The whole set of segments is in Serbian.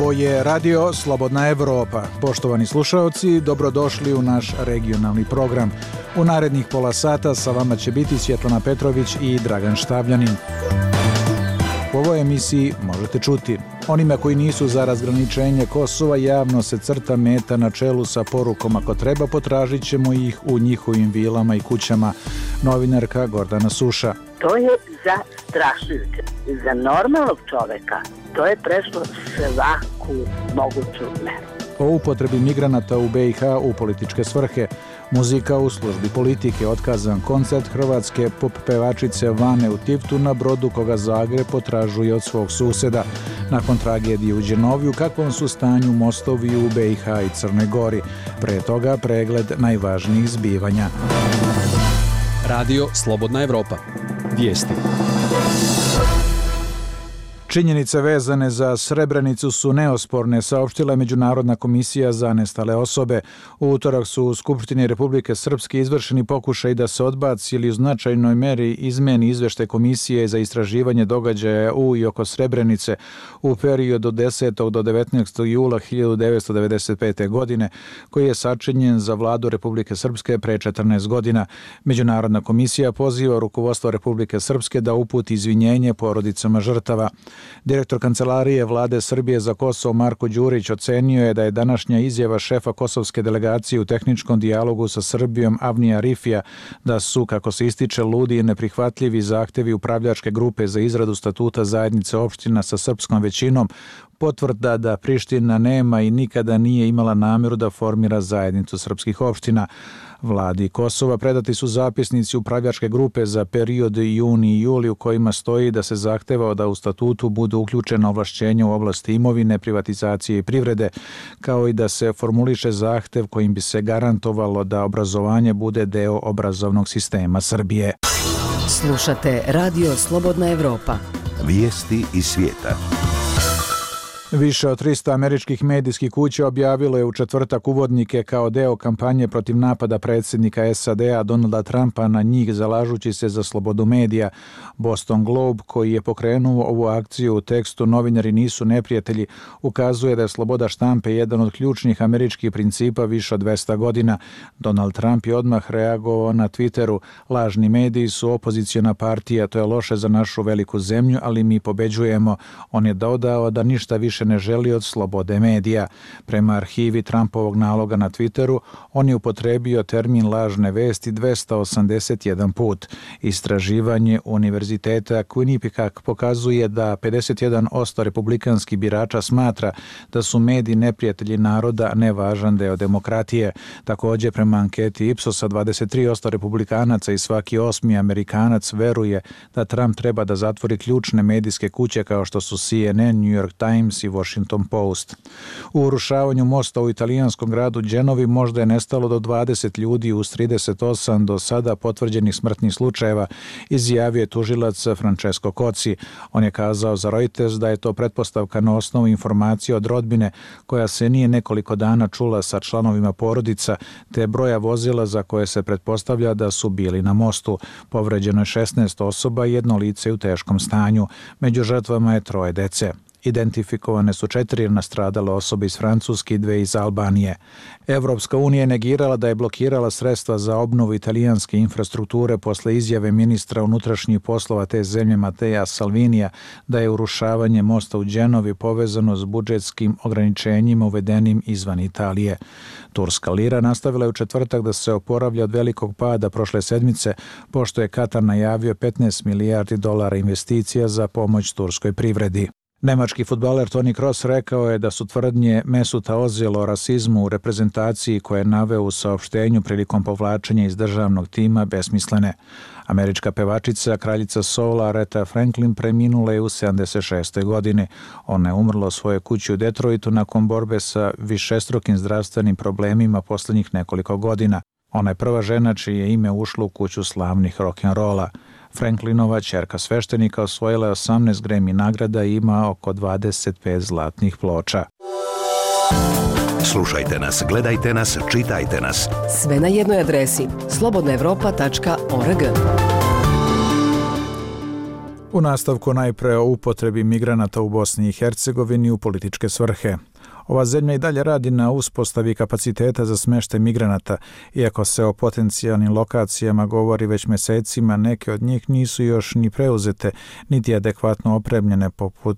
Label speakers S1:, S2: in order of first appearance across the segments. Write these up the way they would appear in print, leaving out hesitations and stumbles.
S1: Ovo je Radio Slobodna Evropa. Poštovani slušaoci, dobrodošli u naš regionalni program. U narednih pola sata sa vama će biti Svjetlana Petrović i Dragan Štavljanin. U ovoj emisiji možete čuti: onima koji nisu za razgraničenje Kosova javno se crta meta na čelu sa porukom ako treba potražit ćemo ih u njihovim vilama i kućama. Novinarka Gordana Suša.
S2: To je zastrašujuće. Za normalnog čoveka to je prešlo svaku moguću meru.
S1: O upotrebi migranata u BiH u političke svrhe, muzika u službi politike, otkazan koncert hrvatske pop pevačice Vane u Tivtu na brodu koga Zagreb potražuje od svog suseda. Nakon tragedije u Đenovi, u kakvom su stanju mostovi u BiH i Crnoj Gori. Pre toga pregled najvažnijih zbivanja.
S3: Radio Slobodna Evropa. Vijesti.
S1: Činjenice vezane za Srebrenicu su neosporne, saopštila je Međunarodna komisija za nestale osobe. U utorak su u Skupštini Republike Srpske izvršeni pokušaj da se odbaci ili u značajnoj meri izmeni izveštaj Komisije za istraživanje događaja u i oko Srebrenice u periodu od 10. do 19. jula 1995. godine, koji je sačinjen za vladu Republike Srpske pre 14 godina. Međunarodna komisija poziva rukovodstvo Republike Srpske da uputi izvinjenje porodicama žrtava. Direktor Kancelarije Vlade Srbije za Kosovo Marko Đurić ocenio je da je današnja izjava šefa kosovske delegacije u tehničkom dijalogu sa Srbijom Avnija Rifija da su, kako se ističe, ludi i neprihvatljivi zahtevi upravljačke grupe za izradu statuta zajednice opština sa srpskom većinom potvrda da Priština nema i nikada nije imala namjeru da formira zajednicu srpskih opština. Vladi Kosova predati su zapisnici upravljačke grupe za period juni i juli u kojima stoji da se zahteva da u statutu budu uključena ovlašćenja u oblasti imovine, privatizacije i privrede, kao i da se formuliše zahtev kojim bi se garantovalo da obrazovanje bude deo obrazovnog sistema Srbije.
S4: Slušate Radio Slobodna Evropa.
S5: Vijesti iz svijeta.
S1: Više od 300 američkih medijskih kuća objavilo je u četvrtak uvodnike kao deo kampanje protiv napada predsjednika SAD-a Donalda Trumpa na njih, zalažući se za slobodu medija. Boston Globe, koji je pokrenuo ovu akciju u tekstu "Novinari nisu neprijatelji", ukazuje da je sloboda štampe jedan od ključnih američkih principa više od 200 godina. Donald Trump je odmah reagovao na Twitteru: "Lažni mediji su opoziciona partija, to je loše za našu veliku zemlju, ali mi pobeđujemo." On je dodao da ništa više ne želi od slobode medija. Prema arhivi Trumpovog naloga na Twitteru, on je upotrebio termin lažne vesti 281 put. Istraživanje Univerziteta Quinnipiac pokazuje da 51% republikanskih birača smatra da su mediji neprijatelji naroda, nevažan deo demokratije. Također, prema anketi Ipsosa, 23% republikanaca i svaki 8. Amerikanac veruje da Trump treba da zatvori ključne medijske kuće kao što su CNN, New York Times i Washington Post. U urušavanju mosta u italijanskom gradu Đenovi možda je nestalo do 20 ljudi uz 38 do sada potvrđenih smrtnih slučajeva, izjavio je tužilac Francesco Cozzi. On je kazao za Reuters da je to pretpostavka na osnovu informacije od rodbine koja se nije nekoliko dana čula sa članovima porodica, te broja vozila za koje se pretpostavlja da su bili na mostu. Povređeno je 16 osoba i jedno lice u teškom stanju. Među žrtvama je 3 dece. Identifikovane su 4 nastradale osobe iz Francuske i 2 iz Albanije. Evropska unija je negirala da je blokirala sredstva za obnovu italijanske infrastrukture posle izjave ministra unutrašnjih poslova te zemlje Mattea Salvinija da je urušavanje mosta u Đenovi povezano s budžetskim ograničenjima uvedenim izvan Italije. Turska lira nastavila je u četvrtak da se oporavlja od velikog pada prošle sedmice, pošto je Katar najavio 15 milijardi dolara investicija za pomoć turskoj privredi. Nemački fudbaler Toni Kroos rekao je da su tvrdnje Mesuta Ozila o rasizmu u reprezentaciji koje je naveo u saopštenju prilikom povlačenja iz državnog tima besmislene. Američka pevačica, kraljica soula Aretha Franklin, preminula je u 76. godini. Ona je umrla u svojoj kući u Detroitu nakon borbe sa višestrukim zdravstvenim problemima posljednjih nekoliko godina. Ona je prva žena čije je ime ušlo u kuću slavnih rock'n'rolla. Franklinova ćerka sveštenika osvojila je 18 Grammy nagrada i ima oko 25 zlatnih ploča.
S5: Slušajte nas, gledajte nas, čitajte nas.
S4: Sve na jednoj adresi slobodnaevropa.org.
S1: U nastavku najpre o upotrebi migranata u Bosni i Hercegovini u političke svrhe. Ova zemlja i dalje radi na uspostavi kapaciteta za smještaj migranata, iako se o potencijalnim lokacijama govori već mjesecima, neke od njih nisu još ni preuzete, niti adekvatno opremljene poput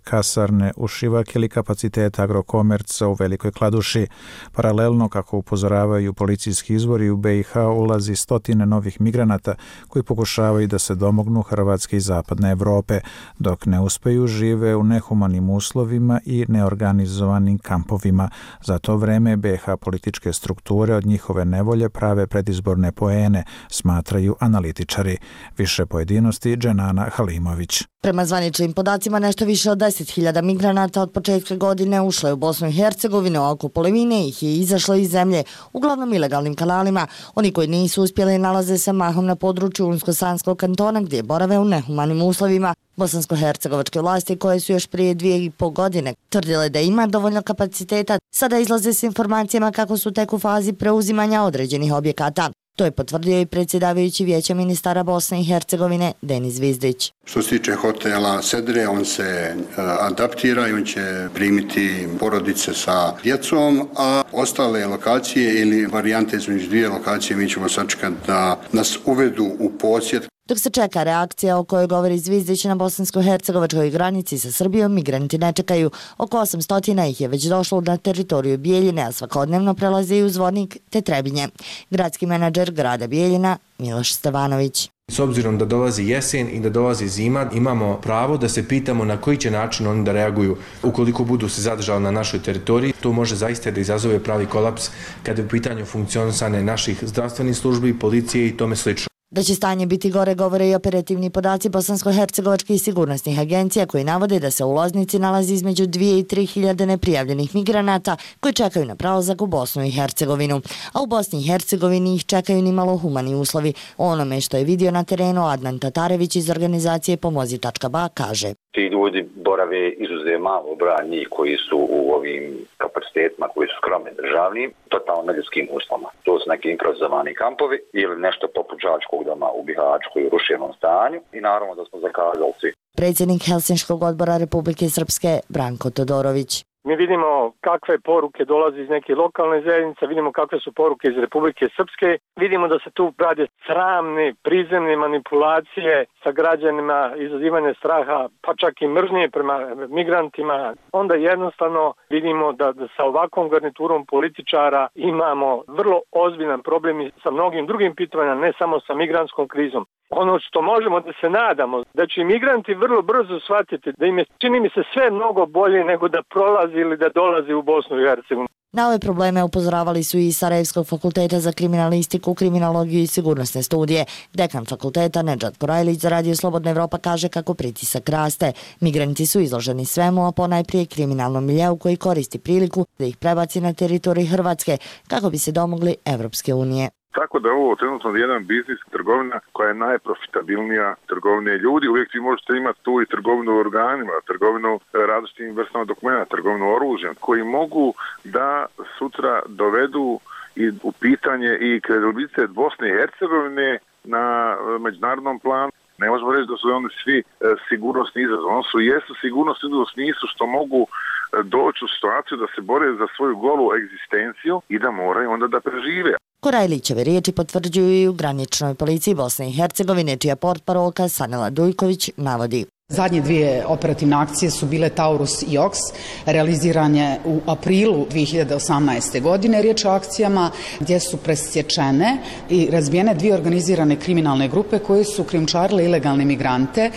S1: kasarne u Šivak ili kapaciteta Agrokomerca u Velikoj Kladuši. Paralelno, kako upozoravaju policijski izvori, u BiH ulazi stotine novih migranata koji pokušavaju da se domognu Hrvatske i zapadne Evrope, dok ne uspeju žive u nehumanim uslovima i neorganizovanim kampovima. Za to vreme BiH političke strukture od njihove nevolje prave predizborne poene, smatraju analitičari. Više pojedinosti Dženana Halimović.
S6: Prema zvaničnim podacima, nešto više od 10.000 migranata od početka godine ušlo je u Bosnu i Hercegovinu, a oko polovine ih je izašlo iz zemlje, uglavnom ilegalnim kanalima. Oni koji nisu uspjeli nalaze se mahom na području Unsko-Sanskog kantona, gdje borave u nehumanim uslovima. Bosansko-hercegovačke vlasti, koje su još prije 2,5 godine tvrdile da ima dovoljno kapaciteta, sada izlaze s informacijama kako su tek u fazi preuzimanja određenih objekata. To je potvrdio i predsjedavajući Vijeća ministara Bosne i Hercegovine Denis Zvizdić.
S7: Što se tiče hotela Sedre, on se adaptira i on će primiti porodice sa djecom, a ostale lokacije ili varijante između dvije lokacije mi ćemo sačekati da nas uvedu u posjed.
S6: Dok se čeka reakcija o kojoj govori Zvizdić na bosansko-hercegovačkoj granici sa Srbijom, migranti ne čekaju. Oko 800 ih je već došlo na teritoriju Bijeljine, a svakodnevno prelaze i u Zvornik te Trebinje. Gradski menadžer grada Bijeljina Miloš Stevanović.
S8: S obzirom da dolazi jesen i da dolazi zima, imamo pravo da se pitamo na koji će način oni da reaguju ukoliko budu se zadržali na našoj teritoriji. To može zaista da izazove pravi kolaps kada je u pitanju funkcionisanje naših zdravstvenih službi, policije i tome slično.
S6: Da će stanje biti gore govore i operativni podaci bosansko-hercegovačkih sigurnosnih agencija koji navode da se u Loznici nalazi između 2 i 3 hiljade neprijavljenih migranata koji čekaju na prelazak u Bosnu i Hercegovinu. A u Bosni i Hercegovini ih čekaju nimalo humani uslovi. O onome što je vidio na terenu Adnan Tatarević iz organizacije Pomozi.ba kaže.
S9: Ti ljudi borave izuzev malo broj njih koji su u ovim kapacitetima koji su skromni državnim, totalno neljudskim uslovima. To su neki improvizovani kampovi ili nešto poput đačkog doma u Bihaću u rušenom stanju i naravno da smo zakazali svi.
S6: Predsjednik Helsinškog odbora Republike Srpske Branko Todorović.
S10: Mi vidimo kakve poruke dolaze iz neke lokalne zajednice, vidimo kakve su poruke iz Republike Srpske, vidimo da se tu rade sramne, prizemne manipulacije sa građanima, izazivanje straha, pa čak i mržnje prema migrantima. Onda jednostavno vidimo da sa ovakvom garniturom političara imamo vrlo ozbiljan problem i sa mnogim drugim pitanjima, ne samo sa migrantskom krizom. Ono što možemo da se nadamo, da će migranti vrlo brzo shvatiti da im je, čini mi se, sve mnogo bolje nego da prolazi ili da dolazi u Bosnu i Hercegovinu.
S6: Na ove probleme upozoravali su i Sarajevskog fakulteta za kriminalistiku, kriminologiju i sigurnosne studije. Dekan fakulteta Nedžad Korajlić za Radio Slobodna Evropa kaže kako pritisak raste. Migranti su izloženi svemu, a ponajprije kriminalnom miljeu koji koristi priliku da ih prebaci na teritoriju Hrvatske kako bi se domogli Evropske unije.
S11: Tako da ovo trenutno jedan biznis, trgovina koja je najprofitabilnija trgovine ljudi. Uvijek vi možete imati tu i trgovinu organima, trgovinu različitim vrstama dokumenta, trgovinu oružjem, koji mogu da sutra dovedu i u pitanje i kredibilitet Bosne i Hercegovine na međunarodnom planu. Ne možemo reći da su oni svi sigurnosni izazov. Oni su jesu sigurnosni izazov u smislu što mogu doći u situaciju da se bore za svoju golu egzistenciju i da moraju onda da prežive.
S6: Korajlićeve riječi potvrđuju i u graničnoj policiji Bosne i Hercegovine, čija portparolka Sanela Dujković navodi.
S12: Zadnje dvije operativne akcije su bile Taurus i Oks, realiziranje u aprilu 2018. godine. Riječ o akcijama gdje su presječene i razbijene dvije organizirane kriminalne grupe koje su krijumčarile ilegalne migrante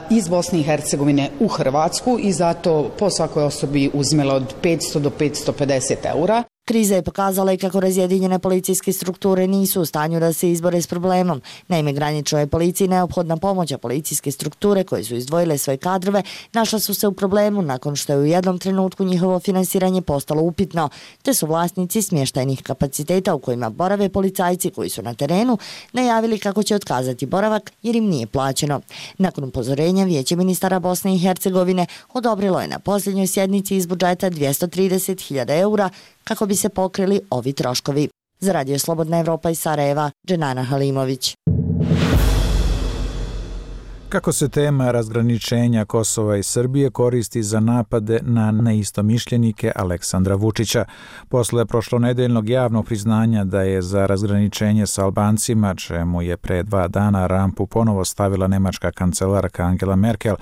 S12: iz Bosne i Hercegovine u Hrvatsku i zato po svakoj osobi uzimele od 500 do 550 eura.
S6: Kriza je pokazala i kako razjedinjene policijske strukture nisu u stanju da se izbore s problemom. Naime, graničnoj policiji neophodna pomoć, a policijske strukture koje su izdvojile svoje kadrove našla su se u problemu nakon što je u jednom trenutku njihovo finansiranje postalo upitno, te su vlasnici smještajnih kapaciteta u kojima borave policajci koji su na terenu najavili kako će otkazati boravak jer im nije plaćeno. Nakon upozorenja Vijeće ministara Bosne i Hercegovine odobrilo je na posljednjoj sjednici iz budžeta 230.000 eura kako bi se pokrili ovi troškovi. Za Radio Slobodna Evropa iz Sarajeva, Dženana Halimović.
S1: Kako se tema razgraničenja Kosova i Srbije koristi za napade na neistomišljenike Aleksandra Vučića? Posle prošlonedeljnog javnog priznanja da je za razgraničenje sa Albancima, čemu je pre 2 dana rampu ponovo stavila nemačka kancelarka Angela Merkel,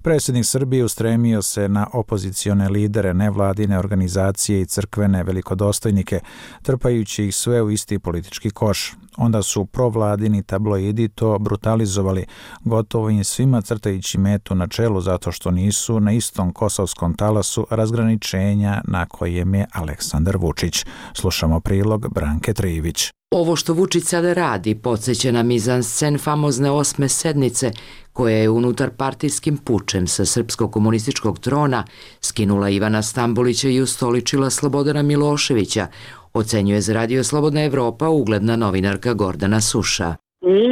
S1: predsjednik Srbije ustremio se na opozicione lidere, nevladine organizacije i crkvene velikodostojnike, trpajući ih sve u isti politički koš. Onda su provladini tabloidi to brutalizovali, gotovo im svima crtajući metu na čelu zato što nisu na istom kosovskom talasu razgraničenja na kojem je Aleksandar Vučić. Slušamo prilog Branke Trivić.
S13: Ovo što Vučić sada radi podsjeća na mizanscen famozne 8. sednice koja je unutar partijskim pučem sa srpskog komunističkog trona skinula Ivana Stambolića i ustoličila Slobodana Miloševića, ocenjuje za Radio Slobodna Evropa ugledna novinarka Gordana Suša.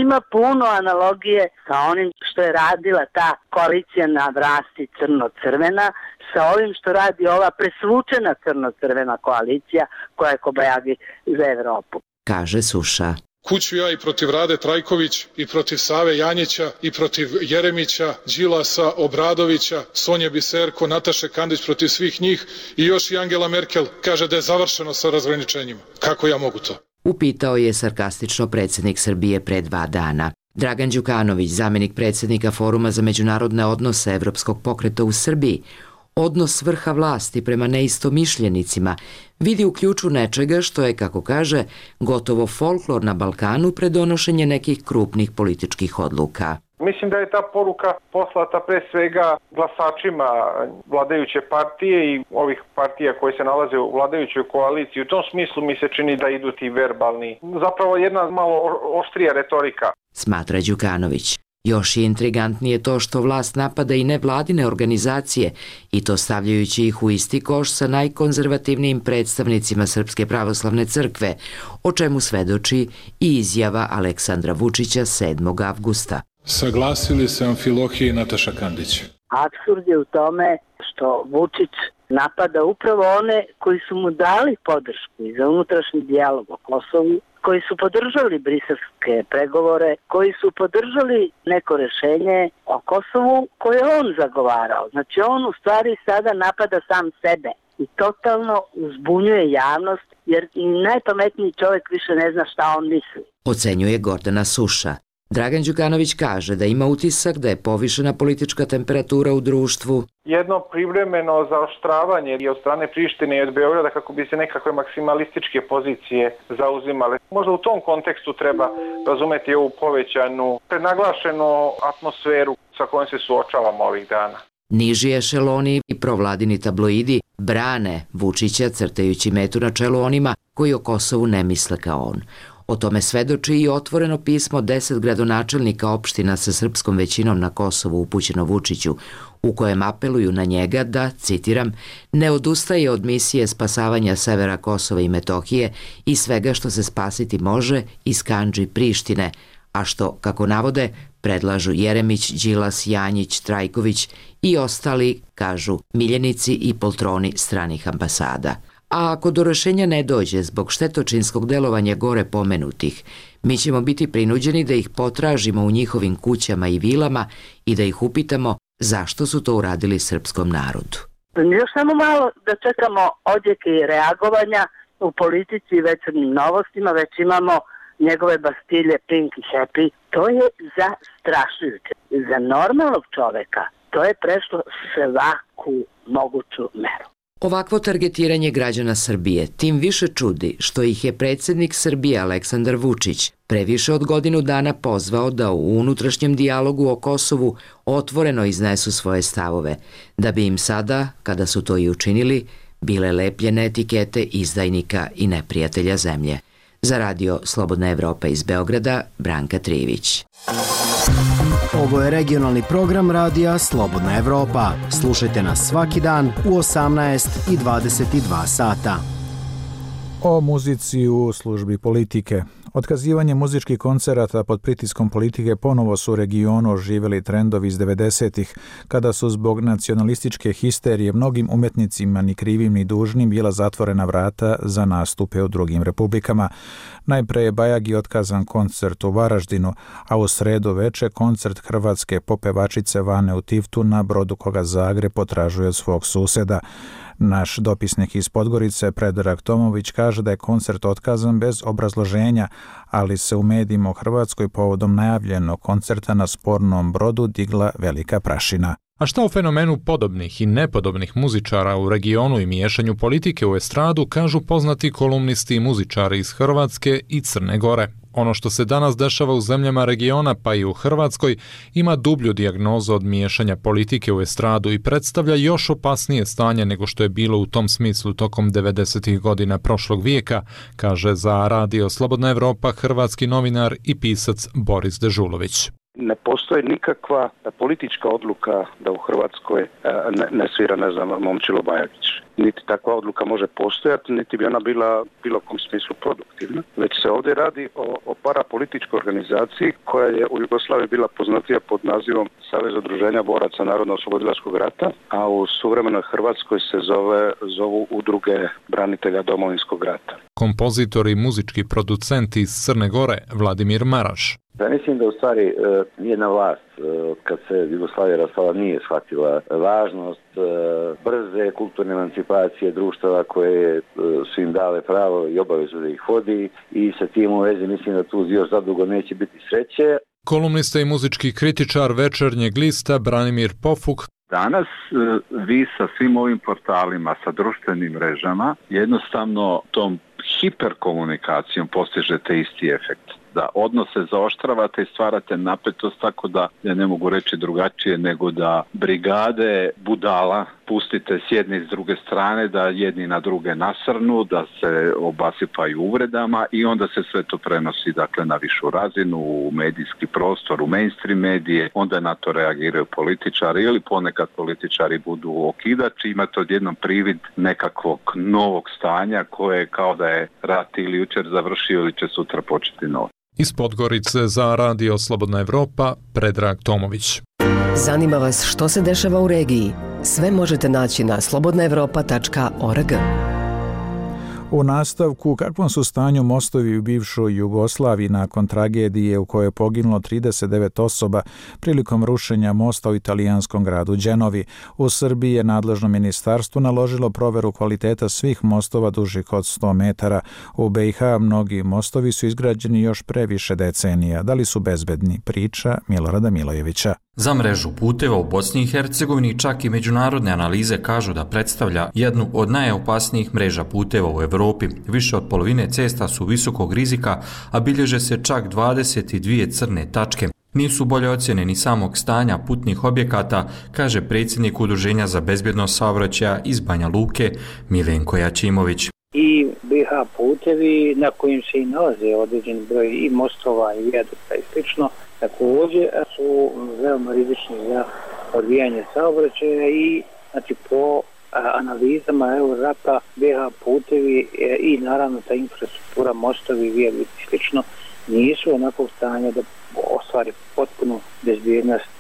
S2: Ima puno analogije sa onim što je radila ta koalicija na vlasti crno-crvena, sa ovim što radi ova presvučena crno-crvena koalicija koja je kobajagi za Evropu.
S13: Kaže Suša.
S14: Kuću ja i protiv Rade Trajković, i protiv Save Janjića, i protiv Jeremića, Đilasa, Obradovića, Sonje Biserko, Nataše Kandić, protiv svih njih i još i Angela Merkel kaže da je završeno sa razgraničenjima. Kako ja mogu to?
S13: Upitao je sarkastično predsjednik Srbije pre 2 dana. Dragan Đukanović, zamjenik predsjednika Foruma za međunarodne odnose Evropskog pokreta u Srbiji, odnos vrha vlasti prema neistomišljenicima vidi u ključu nečega što je, kako kaže, gotovo folklor na Balkanu pre donošenje nekih krupnih političkih odluka.
S15: Mislim da je ta poruka poslata pre svega glasačima vladajuće partije i ovih partija koje se nalaze u vladajućoj koaliciji. U tom smislu mi se čini da idu ti verbalni, zapravo jedna malo oštrija retorika.
S13: Smatra Đukanović. Još je intrigantnije to što vlast napada i nevladine organizacije i to stavljajući ih u isti koš sa najkonzervativnijim predstavnicima Srpske pravoslavne crkve, o čemu svedoči i izjava Aleksandra Vučića 7. avgusta.
S14: Saglasili se Amfilohije i Nataša Kandić.
S2: Apsurd je u tome što Vučić napada upravo one koji su mu dali podršku i za unutrašnji dijalog o Kosovu, koji su podržali briselske pregovore, koji su podržali neko rešenje o Kosovu koje on zagovarao. Znači on u stvari sada napada sam sebe i totalno uzbunjuje javnost jer i najpametniji čovjek više ne zna šta on misli.
S13: Ocenjuje Gordana Suša. Dragan Đukanović kaže da ima utisak da je povišena politička temperatura u društvu.
S15: Jedno privremeno zaoštravanje i od strane Prištine i od Beograda kako bi se nekakve maksimalističke pozicije zauzimale. Možda u tom kontekstu treba razumeti ovu povećanu, prenaglašenu atmosferu sa kojom se suočavamo ovih dana.
S13: Niži ešeloni i provladini tabloidi brane Vučića crtajući metu na čelu onima koji o Kosovu ne misle kao on. O tome svedoči i otvoreno pismo 10 gradonačelnika opština sa srpskom većinom na Kosovu upućeno Vučiću, u kojem apeluju na njega da, citiram, ne odustaje od misije spasavanja severa Kosova i Metohije i svega što se spasiti može iz kandži Prištine, a što, kako navode, predlažu Jeremić, Đilas, Janjić, Trajković i ostali, kažu, miljenici i poltroni stranih ambasada. A ako do rešenja ne dođe zbog štetočinskog delovanja gore pomenutih, mi ćemo biti prinuđeni da ih potražimo u njihovim kućama i vilama i da ih upitamo zašto su to uradili srpskom narodu.
S2: Još samo malo da čekamo odjeke i reagovanja u politici i večernjim novostima, već imamo njegove bastilje Pink i Happy. To je zastrašujuće. Za normalnog čoveka to je prešlo svaku moguću meru.
S13: Ovakvo targetiranje građana Srbije tim više čudi što ih je predsjednik Srbije Aleksandar Vučić pre više od godinu dana pozvao da u unutrašnjem dijalogu o Kosovu otvoreno iznesu svoje stavove, da bi im sada, kada su to i učinili, bile lepljene etikete izdajnika i neprijatelja zemlje. Za Radio Slobodna Evropa iz Beograda, Branka Trivić.
S16: Ovo je regionalni program Radija Slobodna Evropa. Slušajte nas svaki dan u 18 i 22 sata.
S1: O muzici u službi politike. Otkazivanje muzičkih koncerata pod pritiskom politike ponovo su u regionu oživjeli trendovi iz 90-ih, kada su zbog nacionalističke histerije mnogim umetnicima ni krivim ni dužnim bila zatvorena vrata za nastupe u drugim republikama. Najpre je Bajagi otkazan koncert u Varaždinu, a u sredu veče koncert hrvatske popevačice Vane u Tivtu na brodu koga Zagreb potražuje od svog suseda. Naš dopisnik iz Podgorice, Predrag Tomović, kaže da je koncert otkazan bez obrazloženja, ali se u medijima u Hrvatskoj povodom najavljenog koncerta na spornom brodu digla velika prašina.
S17: A šta o fenomenu podobnih i nepodobnih muzičara u regionu i miješanju politike u estradu kažu poznati kolumnisti i muzičari iz Hrvatske i Crne Gore? Ono što se danas dešava u zemljama regiona, pa i u Hrvatskoj, ima dublju dijagnozu od miješanja politike u estradu i predstavlja još opasnije stanje nego što je bilo u tom smislu tokom 90. godina prošlog vijeka, kaže za Radio Slobodna Evropa hrvatski novinar i pisac Boris Dežulović.
S18: Ne postoji nikakva politička odluka da u Hrvatskoj ne svira, Momčilo Bajagić. Niti takva odluka može postojati, niti bi ona bila bilo kom smislu produktivna. Već se ovdje radi o parapolitičkoj organizaciji koja je u Jugoslaviji bila poznatija pod nazivom Savez udruženja boraca Narodno-oslobodilačkog rata, a u suvremenoj Hrvatskoj se zovu Udruge branitelja Domovinskog rata.
S17: Kompozitor i muzički producent iz Crne Gore Vladimir Maraš.
S19: Ja mislim da u stvari jedna vlast kad se Jugoslavija raspala nije shvatila važnost brze kulturne emancipacije društava koje su im dale pravo i obavezu da ih vodi i sa tim u vezi mislim da tu još zadugo neće biti sreće.
S17: Kolumnista i muzički kritičar Večernjeg lista Branimir Pofuk.
S20: Danas vi sa svim ovim portalima, sa društvenim mrežama, jednostavno tom hiperkomunikacijom postižete isti efekt. Da odnose zaoštravate i stvarate napetost tako da, ja ne mogu reći drugačije, nego da brigade budala pustite s jedne i s druge strane, da jedni na druge nasrnu, da se obasipaju uvredama i onda se sve to prenosi dakle na višu razinu, u medijski prostor, u mainstream medije, onda na to reagiraju političari ili ponekad političari budu okidači, imate odjednom privid nekakvog novog stanja koje kao da je rat ili jučer završio ili će sutra početi novo.
S17: Iz Podgorice za Radio Slobodna Evropa, Predrag Tomović.
S4: Zanima vas što se dešava u regiji? Sve možete naći na slobodnaevropa.org.
S1: U nastavku, u kakvom su stanju mostovi u bivšoj Jugoslaviji nakon tragedije u kojoj je poginulo 39 osoba prilikom rušenja mosta u italijanskom gradu Đenovi. U Srbiji je nadležno ministarstvo naložilo proveru kvaliteta svih mostova dužih od 100 metara. U BiH mnogi mostovi su izgrađeni još pre više decenija. Da li su bezbedni? Priča Milorada Milojevića.
S21: Za mrežu puteva u Bosni i Hercegovini čak i međunarodne analize kažu da predstavlja jednu od najopasnijih mreža puteva u Evropi. Više od polovine cesta su visokog rizika, a bilježe se čak 22 crne tačke. Nisu bolje ocjene ni samog stanja putnih objekata, kaže predsjednik Udruženja za bezbjednost saobraćaja iz Banja Luke Milenko Jačimović.
S22: I BiH putevi na kojim se i nalaze određen broj i mostova i vijadukta i slično, također su veoma rizični za odvijanje saobraćaja i znači po analizama Eurorapa BiH putevi i naravno ta infrastruktura, mostovi, vijadukti i slično nisu onakvog stanja da ostvari potpunu bezbjednost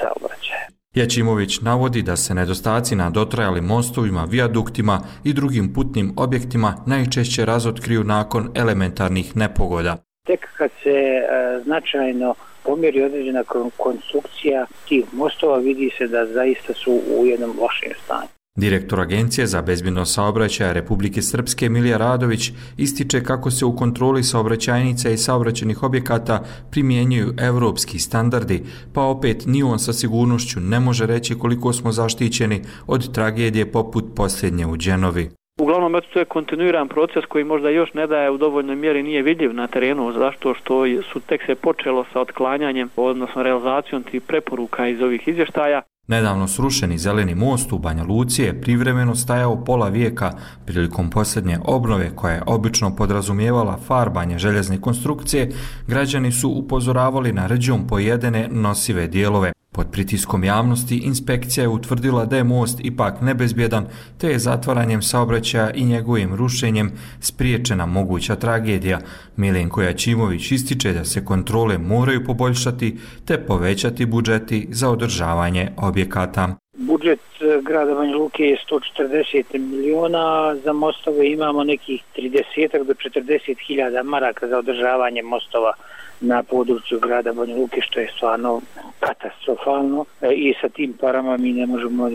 S22: saobraćaja.
S21: Jačimović navodi da se nedostaci na dotrajalim mostovima, vijaduktima i drugim putnim objektima najčešće razotkriju nakon elementarnih nepogoda.
S22: Tek kad se značajno pomjeri određena konstrukcija tih mostova, vidi se da zaista su u jednom lošem stanju.
S21: Direktor Agencije za bezbjednost saobraćaja Republike Srpske Milija Radović ističe kako se u kontroli saobraćajnica i saobraćajnih objekata primjenjuju evropski standardi, pa opet ni on sa sigurnošću ne može reći koliko smo zaštićeni od tragedije poput posljednje u Đenovi.
S23: Uglavnom, to je kontinuiran proces koji možda još ne daje u dovoljnoj mjeri, nije vidljiv na terenu, zašto što su tek se počelo sa otklanjanjem, odnosno realizacijom tih preporuka iz ovih izvještaja.
S21: Nedavno srušeni zeleni most u Banja Luci je privremeno stajao pola vijeka prilikom posljednje obnove koja je obično podrazumijevala farbanje željezne konstrukcije. Građani su upozoravali na rđom pojedene nosive dijelove. Pod pritiskom javnosti inspekcija je utvrdila da je most ipak nebezbjedan, te je zatvaranjem saobraćaja i njegovim rušenjem spriječena moguća tragedija. Milenko Jačimović ističe da se kontrole moraju poboljšati te povećati budžeti za održavanje objekata.
S22: Budžet grada Banja Luke je 140 miliona, za mostove imamo nekih 30 do 40 hiljada maraka za održavanje mostova na području grada Banja Luke, što je stvarno katastrofalno i sa tim parama mi ne možemo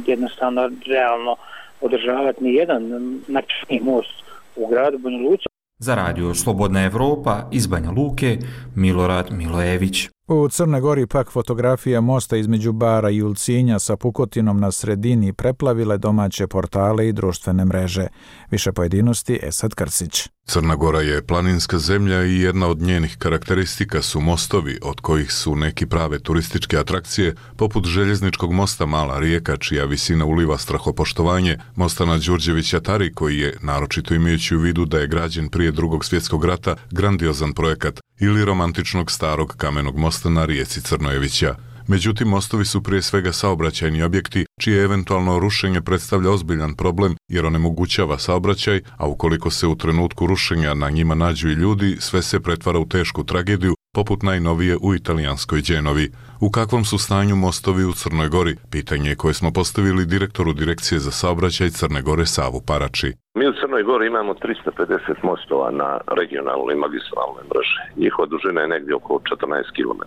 S22: jednostavno realno održavati ni jedan način most u gradu Banja Luci.
S21: Za radio Slobodna Evropa iz Banja Luke, Milorad Milojević.
S1: U Crnoj Gori pak fotografija mosta između Bara i Ulcinja sa pukotinom na sredini preplavile domaće portale i društvene mreže. Više pojedinosti Esad Krcić.
S3: Crna Gora je planinska zemlja i jedna od njenih karakteristika su mostovi, od kojih su neki prave turističke atrakcije, poput željezničkog mosta Mala Rijeka, čija visina uliva strahopoštovanje, mosta na Đurđevića Tari, koji je, naročito imajući u vidu da je građen prije Drugog svjetskog rata, grandiozan projekat, ili romantičnog starog kamenog mosta na rijeci Crnojevića. Međutim, mostovi su prije svega saobraćajni objekti, čije eventualno rušenje predstavlja ozbiljan problem jer onemogućava saobraćaj, a ukoliko se u trenutku rušenja na njima nađu i ljudi, sve se pretvara u tešku tragediju, poput najnovije u italijanskoj Đenovi. U kakvom su stanju mostovi u Crnoj Gori? Pitanje koje smo postavili direktoru Direkcije za saobraćaj Crne Gore Savu Parači.
S5: Mi u Crnoj Gori imamo 350 mostova na regionalnoj i magistralnoj mreži. Njihova dužina je negdje oko 14 km.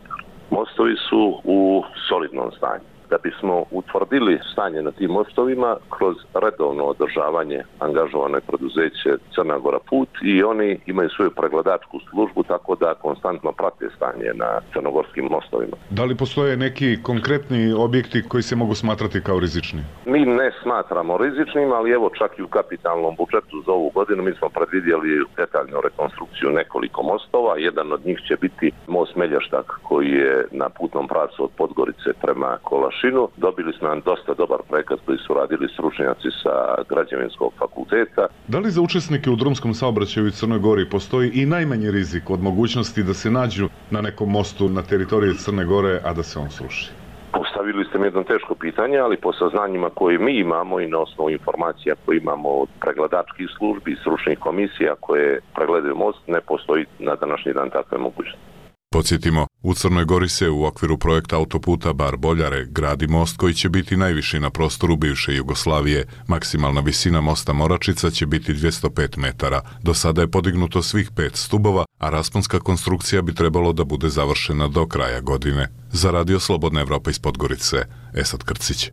S5: Mostovi su u solidnom stanju. Da bismo utvrdili stanje na tim mostovima, kroz redovno održavanje angažovano je preduzeće Crna Gora Put i oni imaju svoju pregledačku službu, tako da konstantno prate stanje na crnogorskim mostovima.
S3: Da li postoje neki konkretni objekti koji se mogu smatrati kao rizični?
S5: Mi ne smatramo rizičnim, ali evo čak i u kapitalnom budžetu za ovu godinu mi smo predvidjeli detaljnu rekonstrukciju nekoliko mostova. Jedan od njih će biti most Melještak koji je na putnom pravcu od Podgorice prema Kolašinu. Dobili smo nam dosta dobar projekat koji su radili stručnjaci sa građevinskog fakulteta.
S3: Da li za učesnike u drumskom saobraćaju u Crnoj Gori postoji i najmanji rizik od mogućnosti da se nađu na nekom mostu na teritoriji Crne Gore, a da se on sruši?
S5: Postavili ste mi jedno teško pitanje, ali po saznanjima koje mi imamo i na osnovu informacija koje imamo od pregledačkih službi i stručnih komisija koje pregledaju most, ne postoji na današnji dan takve mogućnosti.
S3: Podsjetimo, u Crnoj Gori se u okviru projekta autoputa Bar-Boljare gradi most koji će biti najviši na prostoru bivše Jugoslavije. Maksimalna visina mosta Moračica će biti 205 metara. Do sada je podignuto svih 5 stubova, a rasponska konstrukcija bi trebalo da bude završena do kraja godine. Za radio Slobodna Evropa iz Podgorice, Esad Krcić.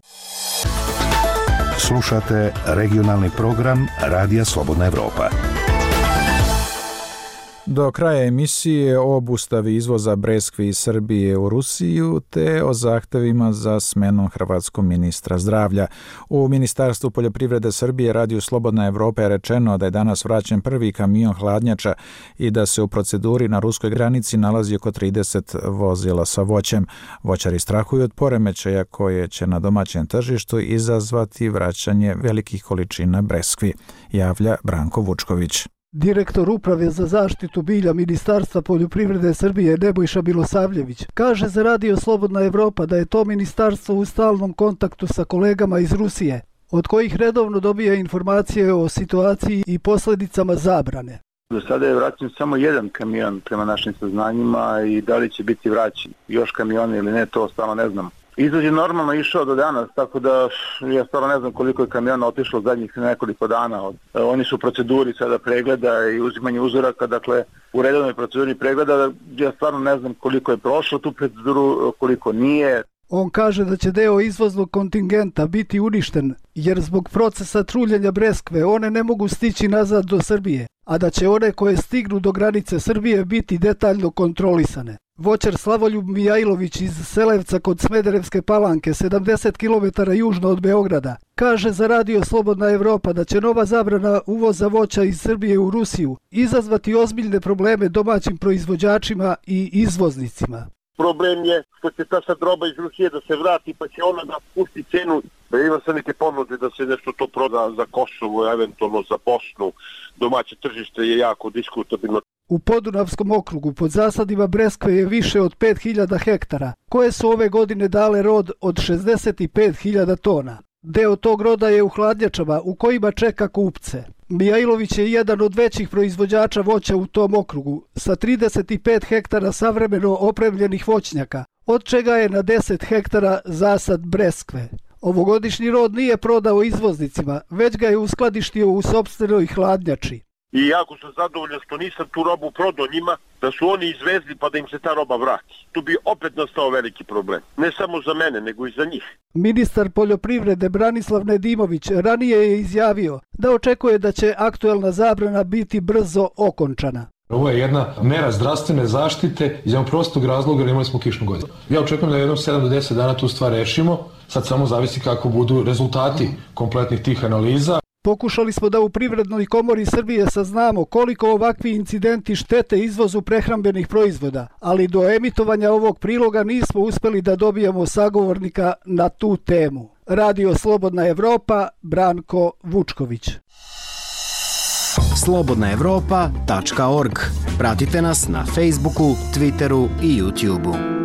S7: Slušate regionalni program Radija Slobodna Evropa.
S1: Do kraja emisije o obustavi izvoza breskvi iz Srbije u Rusiju te o zahtevima za smenom hrvatskog ministra zdravlja. U Ministarstvu poljoprivrede Srbije Radio Slobodna Evropa je rečeno da je danas vraćen prvi kamion hladnjača i da se u proceduri na ruskoj granici nalazi oko 30 vozila sa voćem. Voćari strahuju od poremećaja koje će na domaćem tržištu izazvati vraćanje velikih količina breskvi, javlja Branko Vučković.
S24: Direktor Uprave za zaštitu bilja Ministarstva poljoprivrede Srbije Nebojša Milosavljević kaže za Radio Slobodna Evropa da je to ministarstvo u stalnom kontaktu sa kolegama iz Rusije, od kojih redovno dobija informacije o situaciji i posljedicama zabrane.
S25: Do sada je vraćen samo jedan kamion prema našim saznanjima i da li će biti vraćen još kamiona ili ne, to stvarno ne znam. Izvoz je normalno išao do danas, tako da ja stvarno ne znam koliko je kamiona otišlo zadnjih nekoliko dana. Oni su u proceduri sada pregleda i uzimanje uzoraka, dakle u redovnoj proceduri pregleda, ja stvarno ne znam koliko je prošlo tu proceduru, koliko nije.
S24: On kaže da će deo izvoznog kontingenta biti uništen, jer zbog procesa truljenja breskve one ne mogu stići nazad do Srbije, a da će one koje stignu do granice Srbije biti detaljno kontrolisane. Voćar Slavoljub Mijailović iz Selevca kod Smederevske Palanke, 70 km južno od Beograda, kaže za Radio Slobodna Evropa da će nova zabrana uvoza voća iz Srbije u Rusiju izazvati ozbiljne probleme domaćim proizvođačima i izvoznicima.
S26: Problem je što će ta sad roba iz Rusije da se vrati pa će ona da pusti cenu. Ima se neke ponude da se nešto to proda za Kosovo, eventualno za Bosnu. Domaće tržište je jako diskutabilno.
S24: U Podunavskom okrugu pod zasadima breskve je više od 5000 hektara, koje su ove godine dale rod od 65.000 tona. Deo tog roda je u hladnjačama u kojima čeka kupce. Mijailović je jedan od većih proizvođača voća u tom okrugu, sa 35 hektara savremeno opremljenih voćnjaka, od čega je na 10 hektara zasad breskve. Ovogodišnji rod nije prodao izvoznicima, već ga je uskladištio u sopstvenoj hladnjači.
S26: I jako sam zadovoljan što nisam tu robu prodao njima, da su oni izvezli pa da im se ta roba vrati. Tu bi opet nastao veliki problem. Ne samo za mene, nego i za njih.
S24: Ministar poljoprivrede Branislav Nedimović ranije je izjavio da očekuje da će aktuelna zabrana biti brzo okončana.
S6: Ovo je jedna mera zdravstvene zaštite iz jednog prostog razloga jer imali smo kišnu godinu. Ja očekujem da jednom 7 do 10 dana tu stvar rešimo. Sad samo zavisi kako budu rezultati kompletnih tih analiza.
S24: Pokušali smo da u Privrednoj komori Srbije saznamo koliko ovakvi incidenti štete izvozu prehrambenih proizvoda, ali do emitovanja ovog priloga nismo uspeli da dobijemo sagovornika na tu temu. Radio Slobodna Evropa, Branko Vučković.
S16: slobodnaevropa.org. Pratite nas na Facebooku, Twitteru i YouTubeu.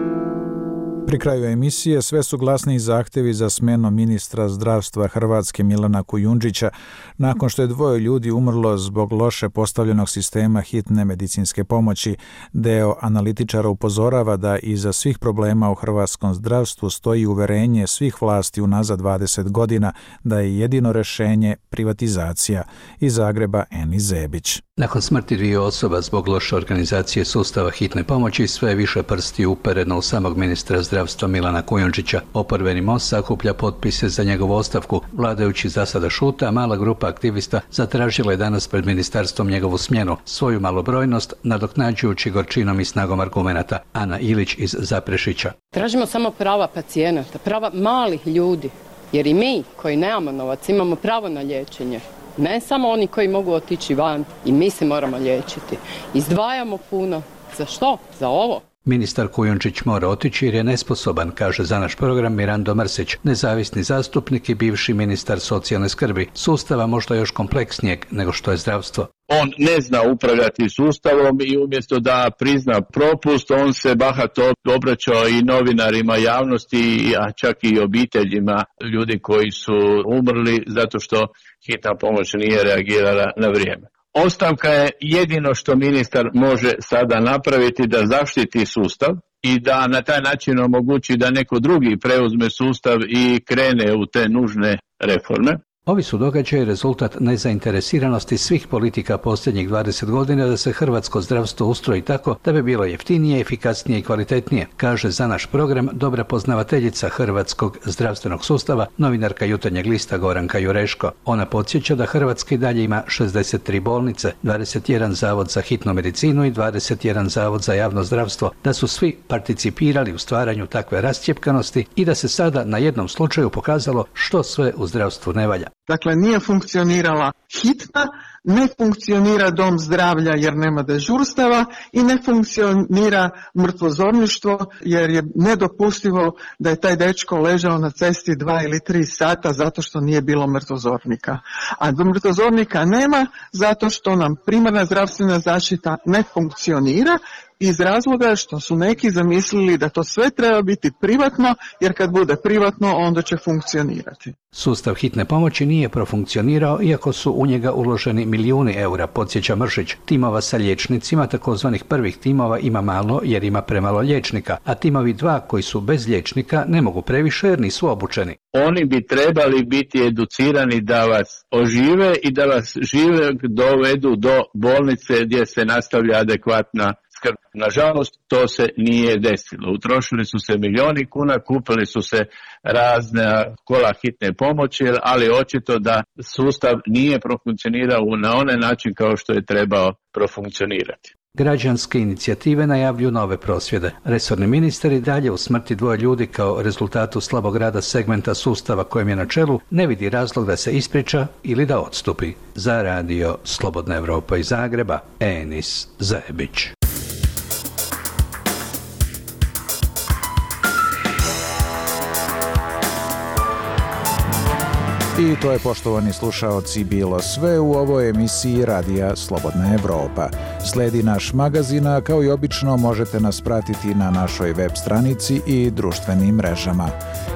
S1: Pri kraju emisije sve su glasniji zahtevi za smenom ministra zdravstva Hrvatske Milana Kujundžića nakon što je 2 ljudi umrlo zbog loše postavljenog sistema hitne medicinske pomoći. Deo analitičara upozorava da iza svih problema u hrvatskom zdravstvu stoji uverenje svih vlasti unazad 20 godina da je jedino rešenje privatizacija. Iz Zagreba Eni Zebić.
S8: Nakon smrti 2 osoba zbog loše organizacije sustava hitne pomoći, sve više prsti upereno u samog ministra zdravstva Milana Kujundžića. Oporbeni most sakuplja potpise za njegovu ostavku. Vladajući za sada šute, a mala grupa aktivista zatražila je danas pred ministarstvom njegovu smjenu. Svoju malobrojnost nadoknađujući gorčinom i snagom argumenata. Ana Ilić iz Zaprešića.
S9: Tražimo samo prava pacijenata, prava malih ljudi, jer i mi koji nemamo novac imamo pravo na liječenje. Ne samo oni koji mogu otići van, i mi se moramo liječiti. Izdvajamo puno. Za što? Za ovo.
S8: Ministar Kujundžić mora otići jer je nesposoban, kaže za naš program Mirando Mrsić, nezavisni zastupnik i bivši ministar socijalne skrbi, sustava možda još kompleksnijeg nego što je zdravstvo.
S10: On ne zna upravljati sustavom i umjesto da prizna propust, on se bahato obraćao i novinarima, javnosti, a čak i obiteljima ljudi koji su umrli zato što hitna pomoć nije reagirala na vrijeme. Ostavka je jedino što ministar može sada napraviti da zaštiti sustav i da na taj način omogući da neko drugi preuzme sustav i krene u te nužne reforme.
S8: Ovi su događaji rezultat nezainteresiranosti svih politika posljednjih 20 godina da se hrvatsko zdravstvo ustroji tako da bi bilo jeftinije, efikasnije i kvalitetnije, kaže za naš program dobra poznavateljica hrvatskog zdravstvenog sustava, novinarka Jutarnjeg lista Goranka Jureško. Ona podsjeća da Hrvatska i dalje ima 63 bolnice, 21 zavod za hitnu medicinu i 21 zavod za javno zdravstvo, da su svi participirali u stvaranju takve rascjepkanosti i da se sada na jednom slučaju pokazalo što sve u zdravstvu ne valja.
S11: Dakle, nije funkcionirala hitna, ne funkcionira dom zdravlja jer nema dežurstava i ne funkcionira mrtvozorništvo jer je nedopustivo da je taj dečko ležao na cesti 2 ili 3 sata zato što nije bilo mrtvozornika. A do mrtvozornika nema zato što nam primarna zdravstvena zaštita ne funkcionira iz razloga što su neki zamislili da to sve treba biti privatno, jer kad bude privatno onda će funkcionirati.
S8: Sustav hitne pomoći nije profunkcionirao iako su u njega uloženi milijuni eura, podsjeća Mršić. Timova sa liječnicima, takozvanih prvih timova, ima malo jer ima premalo liječnika, a timovi 2 koji su bez liječnika ne mogu previše jer nisu obučeni.
S10: Oni bi trebali biti educirani da vas ožive i da vas žive dovedu do bolnice gdje se nastavlja adekvatna skrb. Nažalost, to se nije desilo. Utrošili su se milijoni kuna, kupili su se razne kola hitne pomoći, ali očito da sustav nije profunkcionirao na onaj način kao što je trebao profunkcionirati.
S8: Građanske inicijative najavljuju nove prosvjede. Resorni ministar i dalje u smrti 2 ljudi kao rezultatu slabog rada segmenta sustava kojem je na čelu ne vidi razlog da se ispriča ili da odstupi. Za radio Slobodna Evropa iz Zagreba, Enis Zebić.
S1: I to je, poštovani slušaoci, bilo sve u ovoj emisiji Radija Slobodna Evropa. Sledi naš magazin, a kao i obično možete nas pratiti na našoj web stranici i društvenim mrežama.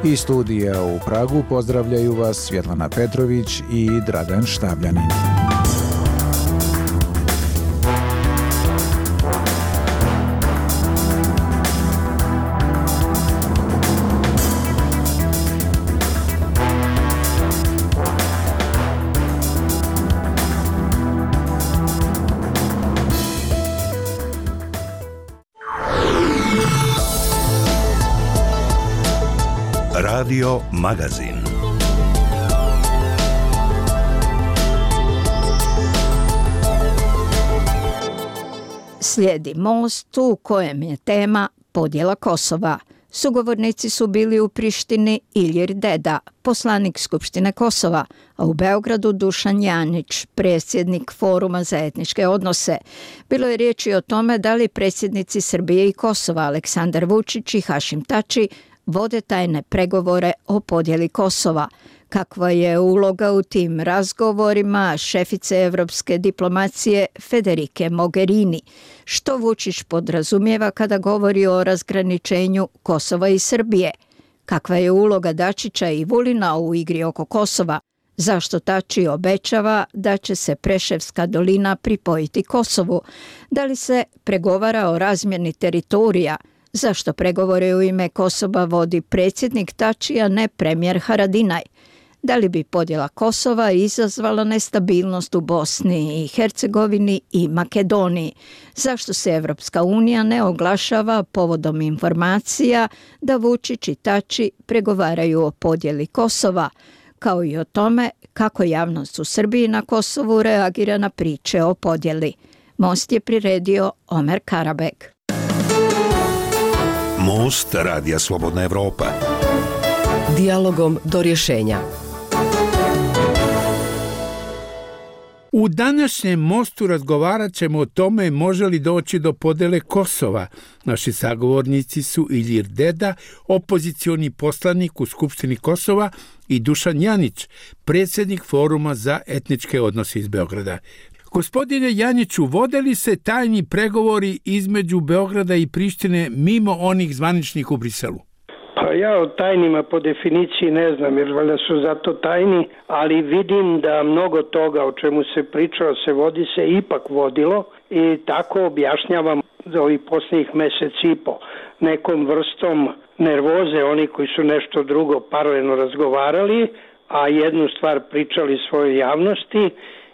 S1: Iz studija u Pragu pozdravljaju vas Svjetlana Petrović i Dragan Štabljanin.
S7: Radio Magazin.
S2: Slijedi Most u kojem je tema podjela Kosova. Sugovornici su bili u Prištini Ilir Deda, poslanik Skupštine Kosova, a u Beogradu Dušan Janić, predsjednik Foruma za etničke odnose. Bilo je riječi o tome da li predsjednici Srbije i Kosova Aleksandar Vučić i Hašim Tači vode tajne pregovore o podjeli Kosova. Kakva je uloga u tim razgovorima šefice evropske diplomacije Federike Mogherini? Što Vučić podrazumijeva kada govori o razgraničenju Kosova i Srbije? Kakva je uloga Dačića i Vulina u igri oko Kosova? Zašto Tači obećava da će se Preševska dolina pripojiti Kosovu? Da li se pregovara o razmjeni teritorija? Zašto pregovore u ime Kosova vodi predsjednik Tači, a ne premijer Haradinaj? Da li bi podjela Kosova izazvala nestabilnost u Bosni i Hercegovini i Makedoniji? Zašto se Evropska unija ne oglašava povodom informacija da Vučić i Tači pregovaraju o podjeli Kosova, kao i o tome kako javnost u Srbiji na Kosovu reagira na priče o podjeli? Most je priredio Omer Karabek.
S7: Most Radija Slobodna Evropa.
S4: Dijalogom do rješenja.
S12: U današnjem Mostu razgovarat ćemo o tome može li doći do podjele Kosova. Naši sagovornici su Ilir Deda, opozicioni poslanik u Skupštini Kosova, i Dušan Janić, predsjednik Foruma za etničke odnose iz Beograda. Gospodine Janiću, vode li se tajni pregovori između Beograda i Prištine mimo onih zvaničnih u Briselu?
S13: Pa ja o tajnima po definiciji ne znam, jer valjda su zato tajni, ali vidim da mnogo toga o čemu se pričalo se ipak vodilo i tako objašnjavam za ovih posljednjih mjesec i po nekom vrstom nervoze, oni koji su nešto drugo paralelno razgovarali, a jednu stvar pričali svojoj javnosti,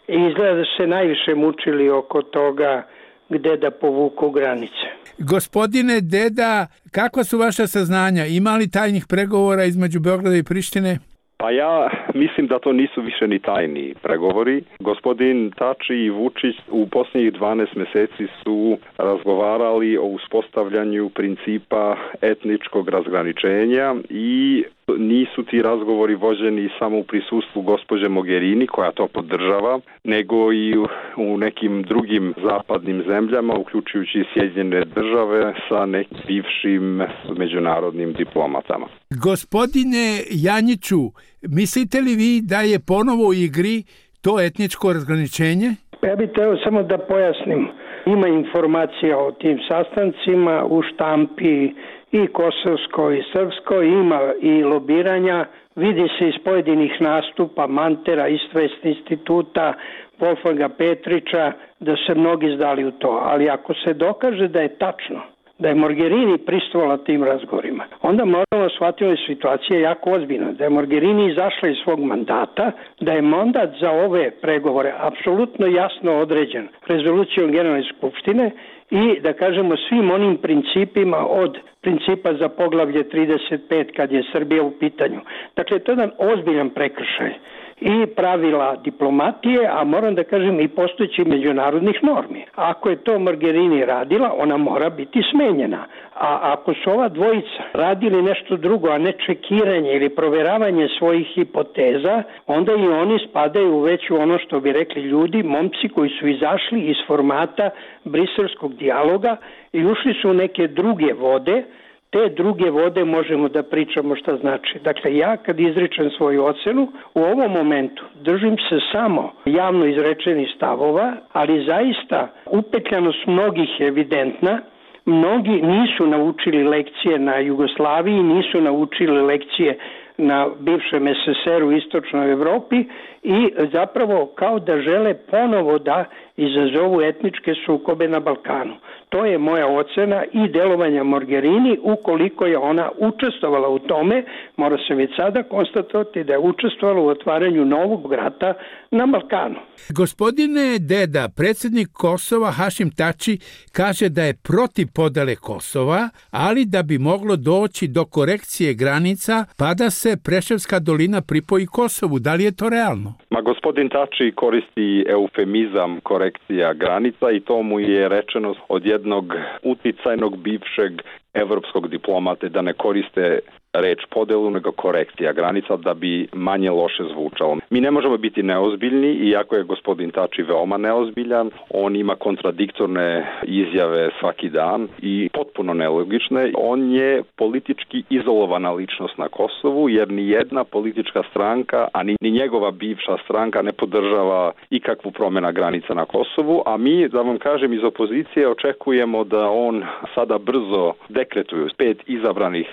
S13: i izgleda da se najviše mučili oko toga gde da povuku granice.
S12: Gospodine Deda, kakva su vaša saznanja? Ima li tajnih pregovora između Beograda i Prištine?
S14: Pa ja mislim da to nisu više ni tajni pregovori. Gospodin Tači i Vučić u posljednjih 12 mjeseci su razgovarali o uspostavljanju principa etničkog razgraničenja i nisu ti razgovori vođeni samo u prisustvu gospođe Mogherini, koja to podržava, nego i u nekim drugim zapadnim zemljama, uključujući Sjedinjene Države, sa nekim bivšim međunarodnim diplomatama.
S12: Gospodine Janjiću, mislite li vi da je ponovo u igri to etničko razgraničenje?
S13: Ja bih trebao samo da pojasnim. Ima informacija o tim sastancima u štampi i kosovskoj i srpskoj, ima i lobiranja, vidi se iz pojedinih nastupa Mantera, Istvest instituta, Wolfganga Petrića, da se mnogi zdali u to. Ali ako se dokaže da je tačno, da je Mogherini pristupila tim razgovorima, onda moramo shvatiti da je situacija jako ozbiljna, da je Mogherini izašla iz svog mandata, da je mandat za ove pregovore apsolutno jasno određen rezolucijom Generalne skupštine i da kažemo svim onim principima od principa za poglavlje 35 kad je Srbija u pitanju. Dakle, to je jedan ozbiljan prekršaj i pravila diplomatije, a moram da kažem i postojećih međunarodnih normi. Ako je to Mogherini radila, ona mora biti smenjena. A ako su ova dvojica radili nešto drugo, a ne čekiranje ili proveravanje svojih hipoteza, onda i oni spadaju već u ono što bi rekli ljudi, momci koji su izašli iz formata briselskog dijaloga i ušli su u neke druge vode, te druge vode možemo da pričamo šta znači. Dakle, ja kad izričem svoju ocenu, u ovom momentu držim se samo javno izrečenih stavova, ali zaista upetljanost mnogih je evidentna. Mnogi nisu naučili lekcije na Jugoslaviji, nisu naučili lekcije na bivšem SSR-u u istočnoj Evropi i zapravo kao da žele ponovo da izazovu etničke sukobe na Balkanu. To je moja ocena i delovanja Mogherini, ukoliko je ona učestvovala u tome, mora se već sada konstatovati da je učestvovala u otvaranju novog rata na Balkanu.
S12: Gospodine Deda, predsjednik Kosova Hašim Tači kaže da je protiv podele Kosova, ali da bi moglo doći do korekcije granica pa da se Preševska dolina pripoji Kosovu. Da li je to realno?
S14: Gospodin Tači koristi eufemizam korekcija granica i to mu je rečeno od jednog uticajnog bivšeg evropskog diplomate da ne koriste reč podelu nego korekcija granica da bi manje loše zvučalo. Mi ne možemo biti neozbiljni, iako je gospodin Tači veoma neozbiljan, on ima kontradiktorne izjave svaki dan i potpuno nelogične. On je politički izolovana ličnost na Kosovu jer ni jedna politička stranka, a ni njegova bivša stranka ne podržava ikakvu promjena granica na Kosovu, a mi, da vam kažem, iz opozicije očekujemo da on sada brzo dekretuje 5 izabranih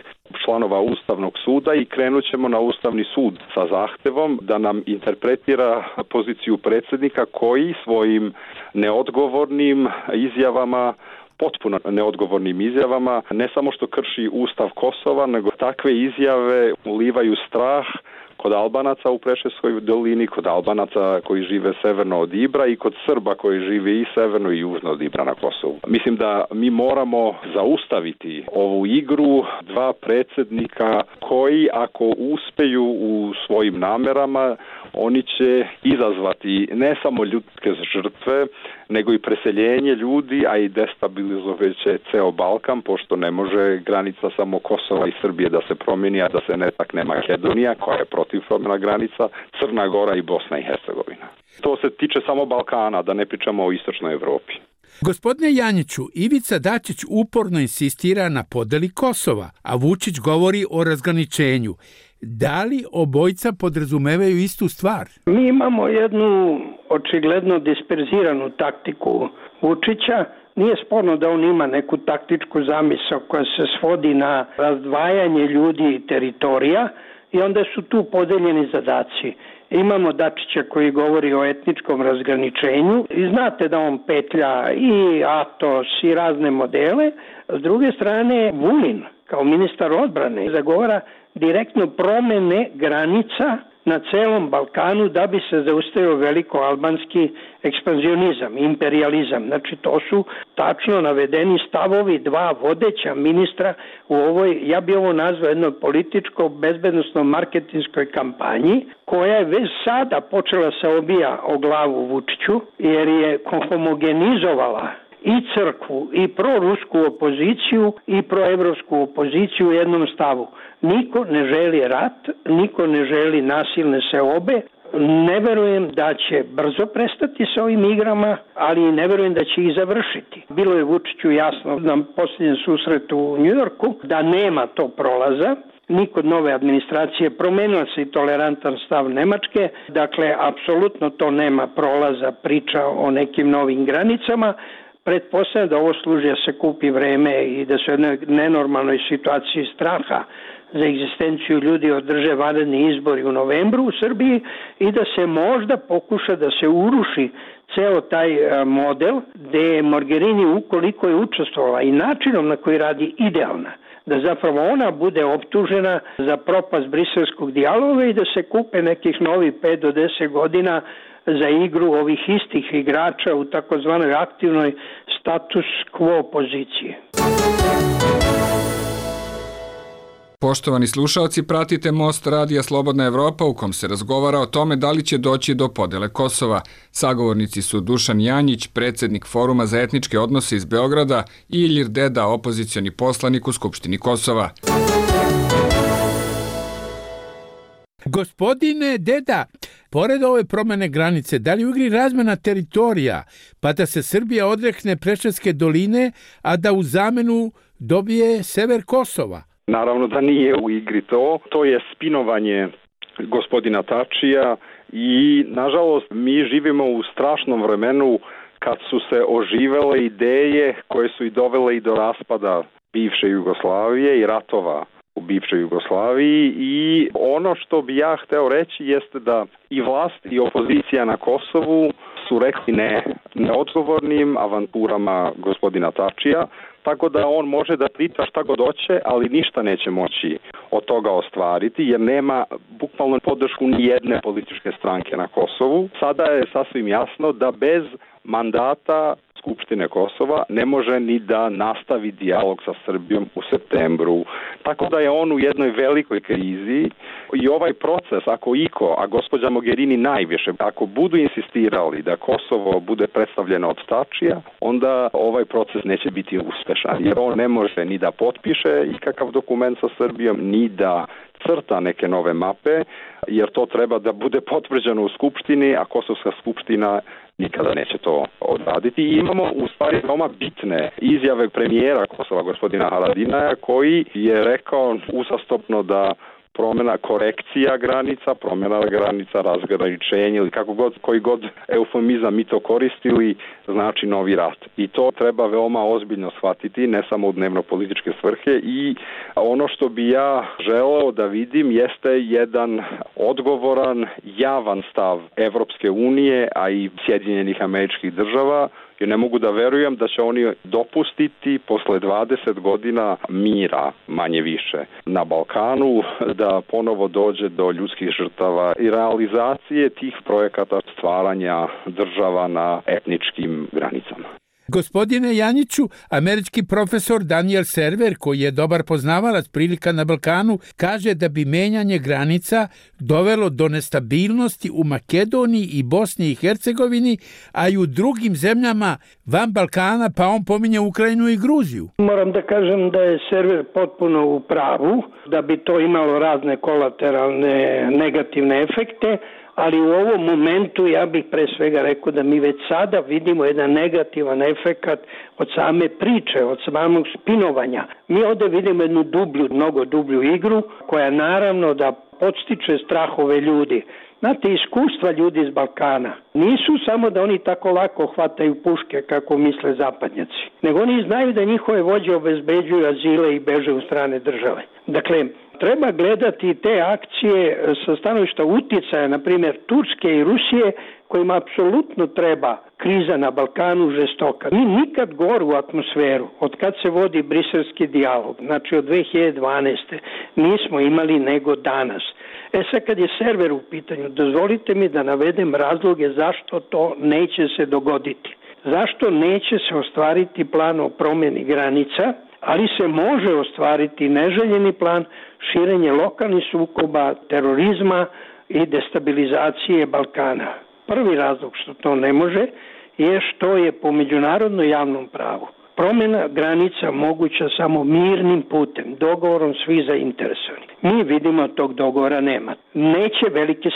S14: članova Ustavnog suda i krenut ćemo na Ustavni sud sa zahtevom da nam interpretira poziciju predsjednika koji svojim neodgovornim izjavama, potpuno neodgovornim izjavama, ne samo što krši Ustav Kosova, nego takve izjave ulivaju strah kod Albanaca u Preševskoj dolini, kod Albanaca koji žive severno od Ibra i kod Srba koji žive i severno i južno od Ibra na Kosovu. Mislim da mi moramo zaustaviti ovu igru dva predsjednika koji ako uspeju u svojim namerama, oni će izazvati ne samo ljudske žrtve, nego i preseljenje ljudi, a i destabilizovaće ceo Balkan, pošto ne može granica samo Kosova i Srbije da se promijeni, a da se ne takne Makedonija, koja je protiv promjena granica, Crna Gora i Bosna i Hercegovina. To se tiče samo Balkana, da ne pričamo o istočnoj Evropi.
S12: Gospodine Janjiću, Ivica Dačić uporno insistira na podeli Kosova, a Vučić govori o razgraničenju. Da li obojca podrazumevaju istu stvar?
S13: Mi imamo jednu očigledno disperziranu taktiku Vučića. Nije sporno da on ima neku taktičku zamisao koja se svodi na razdvajanje ljudi i teritorija i onda su tu podeljeni zadaci. Imamo Dačića koji govori o etničkom razgraničenju i znate da on petlja i Atos i razne modele. S druge strane, Vulin kao ministar odbrane zagovara direktno promene granica na celom Balkanu da bi se zaustavio veliko-albanski ekspanzionizam, imperializam. Znači to su tačno navedeni stavovi dva vodeća ministra u ovoj, ja bi ovo nazvao jednoj političko-bezbednostno-marketinskoj kampanji koja je već sada počela se obija o glavu Vučiću jer je homogenizovala i crkvu, i prorusku opoziciju, i proevropsku opoziciju u jednom stavu. Niko ne želi rat, niko ne želi nasilne seobe. Ne verujem da će brzo prestati sa ovim igrama, ali ne verujem da će ih završiti. Bilo je Vučiću jasno na posljednjem susretu u Njujorku da nema to prolaza, ni kod nove administracije. Promenila se i tolerantan stav Nemačke, dakle, apsolutno to nema prolaza, priča o nekim novim granicama. Pretpostavljam da ovo služi da se kupi vreme i da se u jednoj nenormalnoj situaciji straha za egzistenciju ljudi održe vanredni izbori u novembru u Srbiji i da se možda pokuša da se uruši ceo taj model gde je Mogherini, ukoliko je učestvovala i načinom na koji radi, idealna, da zapravo ona bude optužena za propast briselskog dijaloga i da se kupe nekih novih 5 do 10 godina za igru ovih istih igrača u takozvanoj aktivnoj status quo poziciji.
S15: Poštovani slušalci, pratite Most radija Slobodna Evropa u kom se razgovara o tome da li će doći do podele Kosova. Sagovornici su Dušan Janjić, predsjednik Foruma za etničke odnose iz Beograda, i Ilir Deda, opozicioni poslanik u Skupštini Kosova.
S12: Gospodine Deda, pored ove promjene granice, da li u igri razmjena teritorija, pa da se Srbija odrekne Preševske doline, a da u zamenu dobije sever Kosova.
S14: Naravno da nije u igri to je spinovanje gospodina Tačija i nažalost mi živimo u strašnom vremenu kad su se oživele ideje koje su i dovele i do raspada bivše Jugoslavije i ratova u bivšoj Jugoslaviji i ono što bi ja hteo reći jeste da i vlast i opozicija na Kosovu su rekli ne neodgovornim avanturama gospodina Tačija, tako da on može da priča šta god hoće, ali ništa neće moći od toga ostvariti, jer nema bukvalno podršku ni jedne političke stranke na Kosovu. Sada je sasvim jasno da bez mandata Skupštine Kosova ne može ni da nastavi dijalog sa Srbijom u septembru. Tako da je on u jednoj velikoj krizi i ovaj proces, ako iko, a gospođa Mogherini najviše, ako budu insistirali da Kosovo bude predstavljeno od Tačija, onda ovaj proces neće biti uspešan, jer on ne može ni da potpiše ikakav dokument sa Srbijom, ni da crta neke nove mape, jer to treba da bude potvrđeno u Skupštini, a Kosovska skupština nikada neće to odraditi. I imamo u stvari veoma bitne izjave premijera Kosova, gospodina Haradinaja, koji je rekao uzastopno da korekcija granica, promjena granica, razgraničenje ili koji god eufemizam mi to koristili, znači novi rat. I to treba veoma ozbiljno shvatiti, ne samo u dnevno-političke svrhe. I ono što bi ja želeo da vidim jeste jedan odgovoran, javan stav Evropske unije, a i Sjedinjenih Američkih Država, jer ne mogu da verujem da će oni dopustiti posle 20 godina mira, manje više, na Balkanu, da ponovo dođe do ljudskih žrtava i realizacije tih projekata stvaranja država na etničkim granicama.
S12: Gospodine Janjiću, američki profesor Daniel Server, koji je dobar poznavalac prilika na Balkanu, kaže da bi menjanje granica dovelo do nestabilnosti u Makedoniji i Bosni i Hercegovini, a i u drugim zemljama van Balkana, pa on pominje Ukrajinu i Gruziju.
S13: Moram da kažem da je Server potpuno u pravu, da bi to imalo razne kolateralne negativne efekte, ali u ovom momentu ja bih pre svega rekao da mi već sada vidimo jedan negativan efekat od same priče, od samog spinovanja. Mi ovdje vidimo jednu mnogo dublju igru koja naravno da podstiče strahove ljudi. Znate, iskustva ljudi iz Balkana nisu samo da oni tako lako hvataju puške kako misle zapadnjaci, nego oni znaju da njihove vođe obezbeđuju azile i beže u strane države. Dakle, treba gledati te akcije sa stanovišta uticaja, na primjer Turske i Rusije, kojima apsolutno treba kriza na Balkanu žestoka. Mi nikad goru atmosferu, od kad se vodi briselski dijalog, znači od 2012. nismo imali nego danas. Sad kad je Server u pitanju, dozvolite mi da navedem razloge zašto to neće se dogoditi. Zašto neće se ostvariti plan o promjeni granica, ali se može ostvariti neželjeni plan širenje lokalnih sukoba, terorizma i destabilizacije Balkana. Prvi razlog što to ne može je što je po međunarodnom javnom pravu promjena granica moguća samo mirnim putem, dogovorom svih zainteresovanih. Mi vidimo tog dogovora nema. Neće velike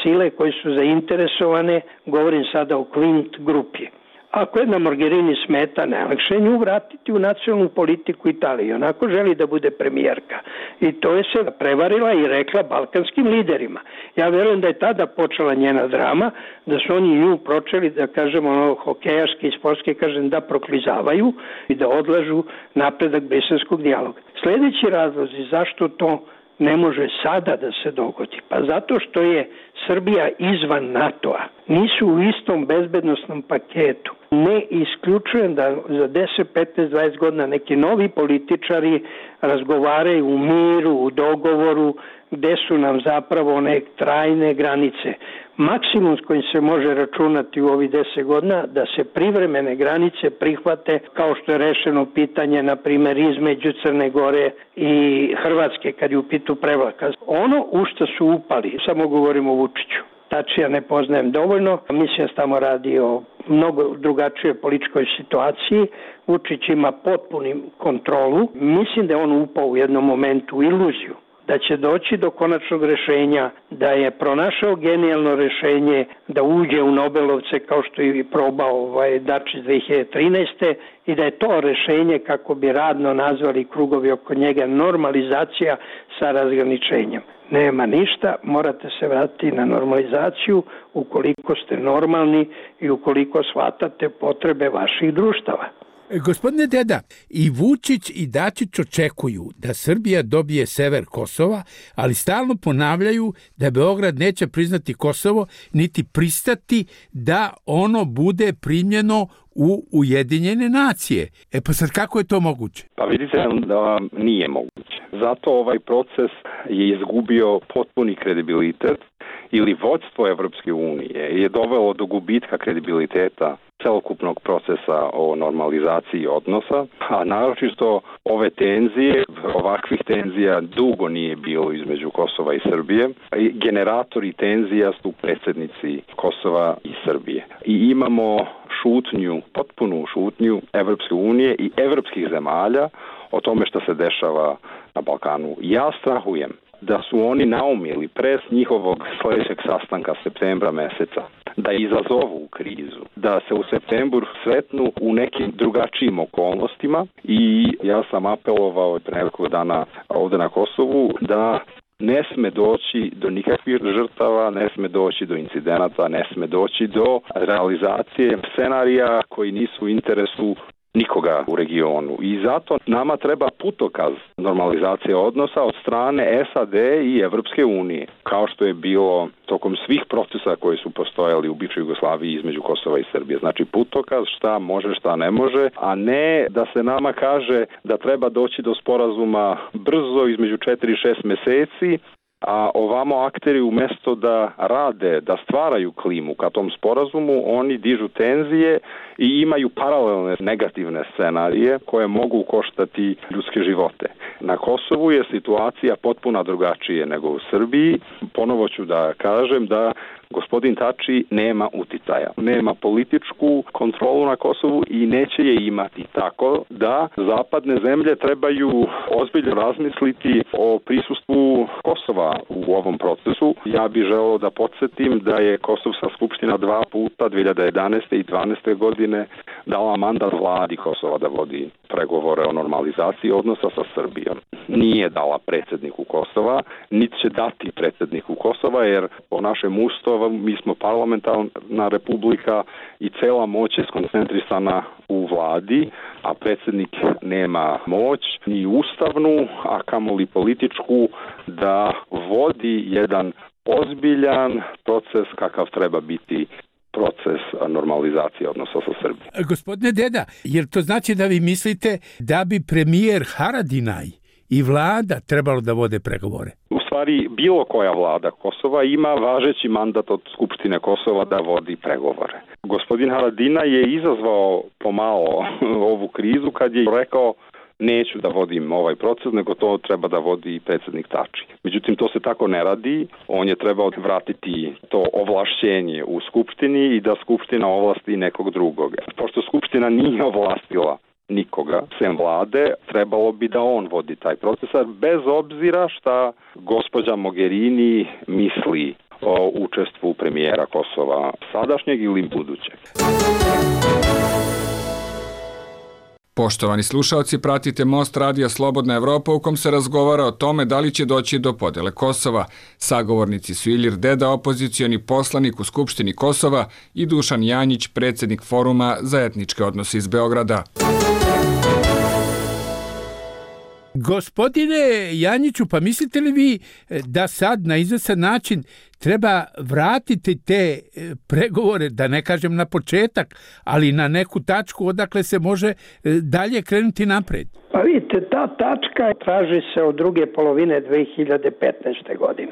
S13: sile koje su zainteresovane, govorim sada o Quint grupi. Ako jedna Mogherini smeta, najlakše nju vratiti u nacionalnu politiku Italije. Onako želi da bude premijerka. I to je se prevarila i rekla balkanskim liderima. Ja verujem da je tada počela njena drama, da su oni nju pročeli, da kažemo hokejaški i sportski, kažem, da proklizavaju i da odlažu napredak briselskog dijaloga. Sljedeći razlozi zašto to ne može sada da se dogodi? Pa zato što je Srbija izvan NATO-a. Nisu u istom bezbednostnom paketu. Ne isključujem da za 10, 15, 20 godina neki novi političari razgovaraju u miru, u dogovoru, gde su nam zapravo one trajne granice. Maksimum s kojim se može računati u ovih 10 godina da se privremene granice prihvate, kao što je rešeno pitanje, na primjer, između Crne Gore i Hrvatske kad je u pitu prevlaka. Ono u što su upali, samo govorimo o Vučiću. Tačija ne poznajem dovoljno, mislim da tamo radi o mnogo drugačijoj političkoj situaciji. Vučić ima potpunu kontrolu. Mislim da je on upao u jednom momentu u iluziju da će doći do konačnog rešenja, da je pronašao genijalno rešenje da uđe u Nobelovce kao što je probao Dačić 2013. i da je to rešenje, kako bi radno nazvali krugovi oko njega, normalizacija sa razgraničenjem. Nema ništa, morate se vratiti na normalizaciju ukoliko ste normalni i ukoliko shvatate potrebe vaših društava.
S12: Gospodine Deda, i Vučić i Dačić očekuju da Srbija dobije sever Kosova, ali stalno ponavljaju da Beograd neće priznati Kosovo, niti pristati da ono bude primljeno u Ujedinjene nacije. Pa sad kako je to moguće?
S14: Pa vidite da nije moguće. Zato ovaj proces je izgubio potpuni kredibilitet ili vođstvo Evropske unije je dovelo do gubitka kredibiliteta celokupnog procesa o normalizaciji odnosa, a naročito ove tenzije, ovakvih tenzija dugo nije bilo između Kosova i Srbije. Generatori tenzija su predsjednici Kosova i Srbije. I imamo šutnju, potpunu šutnju Evropske unije i evropskih zemalja o tome što se dešava na Balkanu. Ja strahujem da su oni naumili pres njihovog sljedećeg sastanka septembra meseca da izazovu krizu, da se u septembru sretnu u nekim drugačijim okolnostima i ja sam apelovao pre nekog dana ovdje na Kosovu da ne sme doći do nikakvih žrtava, ne sme doći do incidenata, ne sme doći do realizacije scenarija koji nisu u interesu nikoga u regionu. I zato nama treba putokaz normalizacije odnosa od strane SAD i Evropske unije, kao što je bilo tokom svih procesa koji su postojali u bivšoj Jugoslaviji između Kosova i Srbije. Znači putokaz šta može, šta ne može, a ne da se nama kaže da treba doći do sporazuma brzo između 4 i 6 meseci, a ovamo akteri umjesto da rade, da stvaraju klimu ka tom sporazumu, oni dižu tenzije i imaju paralelne negativne scenarije koje mogu koštati ljudske živote. Na Kosovu je situacija potpuno drugačije nego u Srbiji. Ponovo ću da kažem da gospodin Tači nema uticaja, nema političku kontrolu na Kosovu i neće je imati, tako da zapadne zemlje trebaju ozbiljno razmisliti o prisustvu Kosova u ovom procesu. Ja bih želeo da podsjetim da je Kosovska skupština 2 puta 2011. i 2012. godine dala mandat vladi Kosova da vodi pregovore o normalizaciji odnosa sa Srbijom. Nije dala predsjedniku Kosova, niti će dati predsjedniku Kosova, jer po našem ustavu mi smo parlamentarna republika i cela moć je skoncentrisana u vladi, a predsjednik nema moć ni ustavnu, a kamoli političku da vodi jedan ozbiljan proces kakav treba biti proces normalizacije odnosa sa Srbijom.
S12: Gospodine Deda, jer to znači da vi mislite da bi premijer Haradinaj i vlada trebalo da vode pregovore?
S14: U stvari, bilo koja vlada Kosova ima važeći mandat od Skupštine Kosova da vodi pregovore. Gospodin Haradinaj je izazvao pomalo ovu krizu kad je rekao neću da vodim ovaj proces, nego to treba da vodi predsjednik Tači. Međutim, to se tako ne radi. On je trebao vratiti to ovlašćenje u Skupštini i da Skupština ovlasti nekog drugog. Pošto Skupština nije ovlastila nikoga, sem vlade, trebalo bi da on vodi taj proces, bez obzira šta gospođa Mogherini misli o učestvu premijera Kosova sadašnjeg ili budućeg.
S15: Poštovani slušalci, pratite Most Radija Slobodna Evropa u kom se razgovara o tome da li će doći do podele Kosova. Sagovornici su Ilir Deda, opozicioni poslanik u Skupštini Kosova, i Dušan Janjić, predsjednik Foruma za etničke odnose iz Beograda.
S12: Gospodine Janjiću, pa mislite li vi da sad na izvestan način treba vratiti te pregovore, da ne kažem na početak, ali na neku tačku odakle se može dalje krenuti napred?
S13: Pa vidite, ta tačka traži se od druge polovine 2015. godine.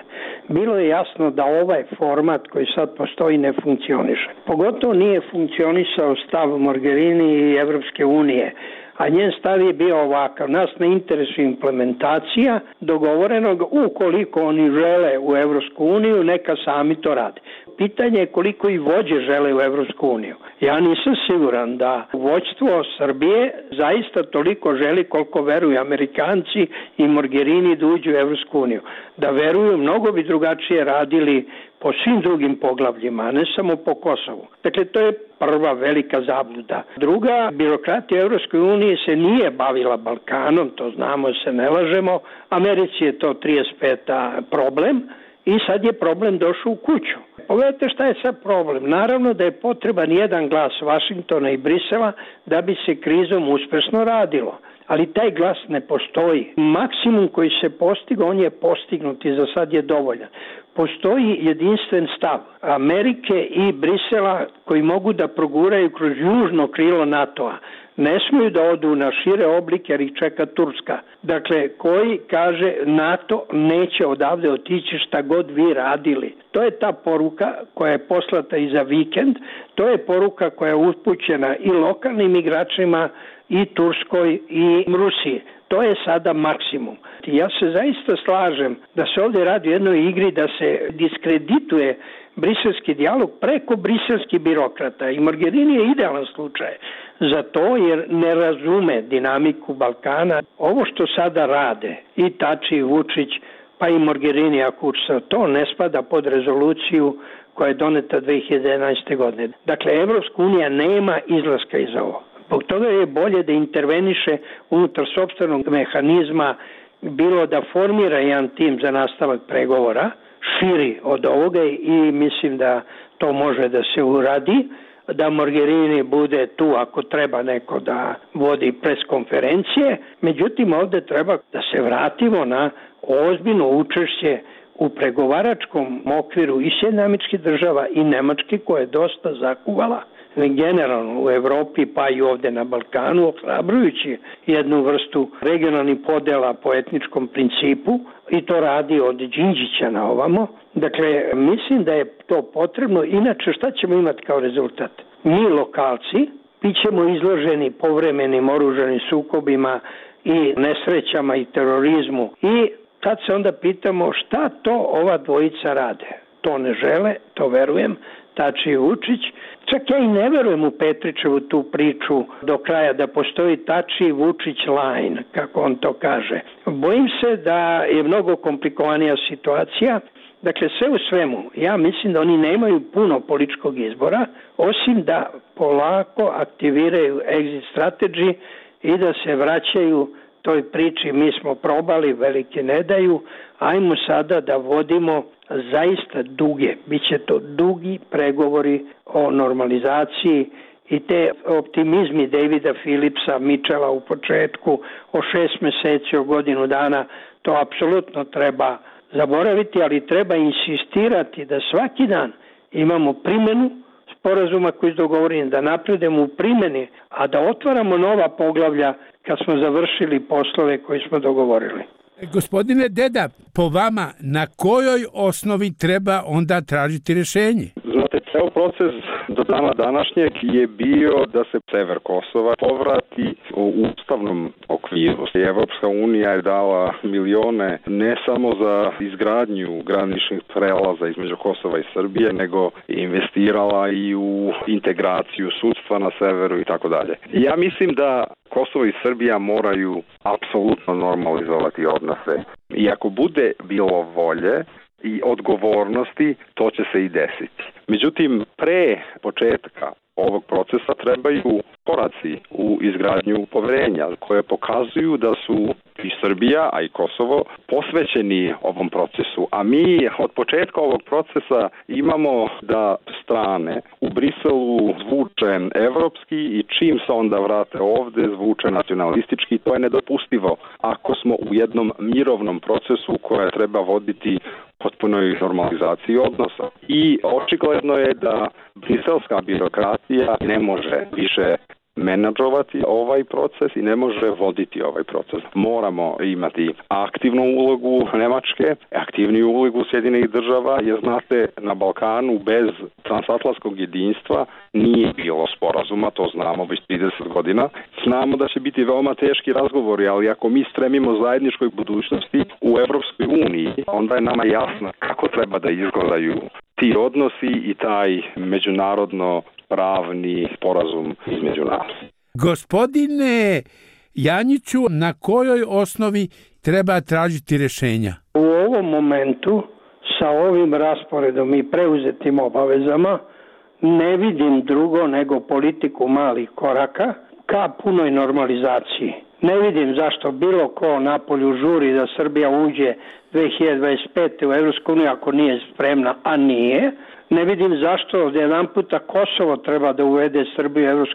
S13: Bilo je jasno da ovaj format koji sad postoji ne funkcioniše. Pogotovo nije funkcionisao stav Mogherini i Evropske unije, a njen stav je bio ovakav. Nas ne interesuje implementacija dogovorenog, ukoliko oni žele u Evropsku uniju, neka sami to rade. pitanje je koliko i vođe žele u Evropsku uniju. Ja nisam siguran da vođstvo Srbije zaista toliko želi koliko veruju Amerikanci i Mogherini da uđu u Evropsku uniju. Da veruju, mnogo bi drugačije radili po svim drugim poglavljima, a ne samo po Kosovu. Dakle, to je prva velika zabluda. Druga, birokratija Evropskoj uniji se nije bavila Balkanom, to znamo, se ne lažemo. Americi je to 35. problem i sad je problem došao u kuću. Pogledajte šta je sad problem. Naravno da je potreban jedan glas Vašingtona i Brisela da bi se krizom uspešno radilo. Ali taj glas ne postoji. Maksimum koji se postigao, on je postignut i za sad je dovoljan. Postoji jedinstven stav Amerike i Brisela koji mogu da proguraju kroz južno krilo NATO-a. Ne smiju da odu na šire oblike jer ih čeka Turska. Dakle, koji kaže NATO neće odavde otići šta god vi radili. To je ta poruka koja je poslata i za vikend. To je poruka koja je upućena i lokalnim igračima i Turskoj i Rusiji. To je sada maksimum. Ja se zaista slažem da se ovdje radi o jednoj igri da se diskredituje briselski dijalog preko briselskih birokrata. I Mogherini je idealan slučaj za to jer ne razume dinamiku Balkana. Ovo što sada rade i Tači i Vučić, pa i Mogherini ako to ne spada pod rezoluciju koja je doneta 2011. godine. Dakle, Evropska unija nema izlaska iz ovo. Zbog toga je bolje da interveniše unutar sopstvenog mehanizma, bilo da formira jedan tim za nastavak pregovora, širi od ovoga i mislim da to može da se uradi, da Mogherini bude tu ako treba neko da vodi preskonferencije. Međutim, ovdje treba da se vratimo na ozbiljno učešće u pregovaračkom okviru i Sjedinjenih Američkih Država i Nemačke koja je dosta zakuvala generalno u Evropi pa i ovdje na Balkanu, ohrabrujući jednu vrstu regionalnih podela po etničkom principu i to radi od Đinđića na ovamo. Dakle, mislim da je to potrebno. Inače, šta ćemo imati kao rezultat? Mi lokalci bićemo izloženi povremenim oružanim sukobima i nesrećama i terorizmu i tad se onda pitamo šta to ova dvojica rade. To ne žele, to verujem, Tači i Vučić. Čak ja i ne verujem u Petrićevu tu priču do kraja da postoji Tači i Vučić line, kako on to kaže. Bojim se da je mnogo komplikovanija situacija. Dakle, sve u svemu, ja mislim da oni nemaju puno političkog izbora, osim da polako aktiviraju exit strategy i da se vraćaju toj priči mi smo probali, velike ne daju, ajmo sada da vodimo zaista biće to dugi pregovori o normalizaciji i te optimizmi Davida Philipsa, Mitchella u početku o 6 meseci, o godinu dana, to apsolutno treba zaboraviti, ali treba insistirati da svaki dan imamo primjenu sporazuma koji je dogovoren, da napredemo u primjeni, a da otvaramo nova poglavlja kad smo završili poslove koje smo dogovorili.
S12: Gospodine Deda, po vama, na kojoj osnovi treba onda tražiti rješenje?
S14: Znate, ceo proces do dana današnjeg je bio da se sever Kosova povrati u ustavnom okviru. Evropska unija je dala milione ne samo za izgradnju graničnih prelaza između Kosova i Srbije, nego investirala i u integraciju sudstva na severu i tako dalje. Ja mislim da Kosovo i Srbija moraju apsolutno normalizovati odnose. I ako bude bilo volje i odgovornosti, to će se i desiti. Međutim, pre početka ovog procesa trebaju koraci u izgradnju poverenja koje pokazuju da su i Srbija, a i Kosovo posvećeni ovom procesu. A mi od početka ovog procesa imamo da strane u Briselu zvuče evropski i čim se onda vrate ovde zvuče nacionalistički. To je nedopustivo ako smo u jednom mirovnom procesu koje treba voditi potpunoj normalizaciji odnosa. I očigledno je da briselska birokratija ne može više menadžovati ovaj proces i ne može voditi ovaj proces. Moramo imati aktivnu ulogu Nemačke, aktivniju ulogu Sjedinjenih Država, jer znate, na Balkanu bez transatlantskog jedinstva nije bilo sporazuma, to znamo već 30 godina. Znamo da će biti veoma teški razgovori, ali ako mi stremimo zajedničkoj budućnosti u Evropskoj uniji, onda je nama jasno kako treba da izgledaju ti odnosi i taj međunarodno pravni sporazum između nas.
S12: Gospodine Janjiću, na kojoj osnovi treba tražiti rješenja?
S13: U ovom momentu sa ovim rasporedom i preuzetim obavezama ne vidim drugo nego politiku malih koraka ka punoj normalizaciji. Ne vidim zašto bilo ko napolju žuri da Srbija uđe 2025. u EU ako nije spremna, a nije. Ne vidim zašto jedan puta Kosovo treba da uvede Srbiju u EU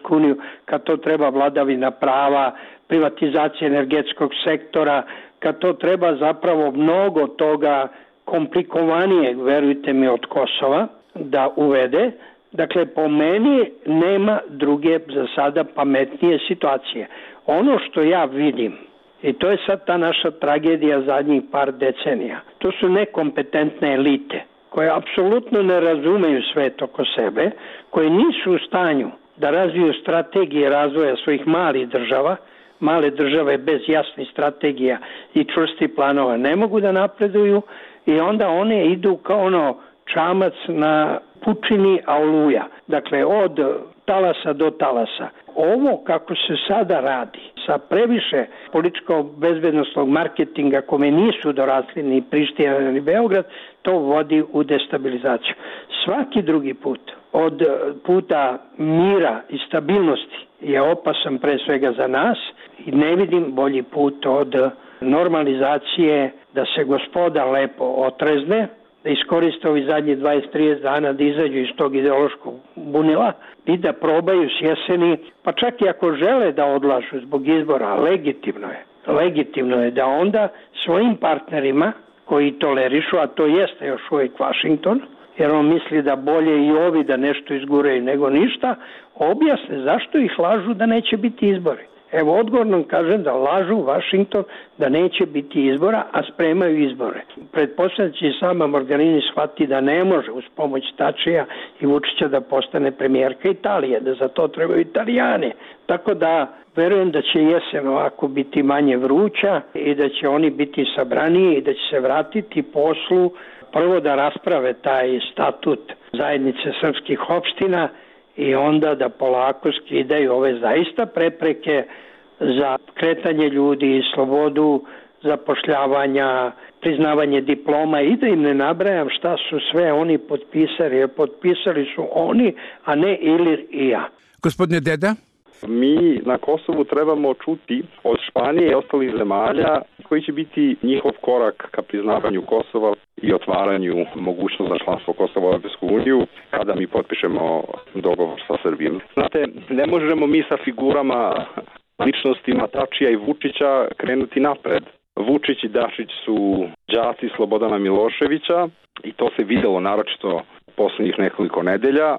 S13: kad to treba vladavina prava, privatizacija energetskog sektora, kad to treba zapravo mnogo toga komplikovanije, verujte mi, od Kosova da uvede. Dakle, po meni nema druge za sada pametnije situacije. Ono što ja vidim, i to je sad ta naša tragedija zadnjih par decenija, to su nekompetentne elite koje apsolutno ne razumeju svet oko sebe, koje nisu u stanju da razviju strategije razvoja svojih malih država. Male države bez jasnih strategija i čvrstih planova ne mogu da napreduju i onda one idu kao čamac na pučini, a oluja. Dakle, od talasa do talasa. Ovo kako se sada radi, sa previše političko-bezbednostnog marketinga kome nisu dorasli ni Priština ni Beograd, to vodi u destabilizaciju. Svaki drugi put, od puta mira i stabilnosti, je opasan pre svega za nas i ne vidim bolji put od normalizacije, da se gospoda lepo otrezne, da iskoriste ovi zadnji 20-30 dana da izađu iz tog ideološkog bunila i da probaju s jeseni, pa čak i ako žele da odlažu zbog izbora, legitimno je da onda svojim partnerima koji tolerišu, a to jeste još uvijek Washington, jer on misli da bolje i ovi da nešto izguraju nego ništa, objasne zašto ih lažu da neće biti izbori. Evo, odgovorno kažem da lažu Washington da neće biti izbora, a spremaju izbore. Pretpostavljam će i sama Mogherini shvati da ne može uz pomoć Tačija i Vučića da postane premijerka Italije, da za to trebaju Italijani. Tako da verujem da će jesen ovako biti manje vruća i da će oni biti sabraniji i da će se vratiti poslu, prvo da rasprave taj statut zajednice srpskih opština i onda da polako skidaju ove zaista prepreke za kretanje ljudi i slobodu zapošljavanja, priznavanje diploma i da im ne nabrajam šta su sve oni potpisali, jer potpisali su oni, a ne Ilir i ja.
S12: Gospodine Deda?
S14: Mi na Kosovu trebamo čuti od Španije i ostalih zemalja koji će biti njihov korak ka priznavanju Kosova i otvaranju mogućnosti za članstvo Kosova u Europsku uniju kada mi potpišemo dogovor sa Srbijom. Znate, ne možemo mi sa figurama, ličnostima Tačija i Vučića krenuti napred. Vučić i Dačić su đaci Slobodana Miloševića i to se videlo naročito poslednjih nekoliko nedelja.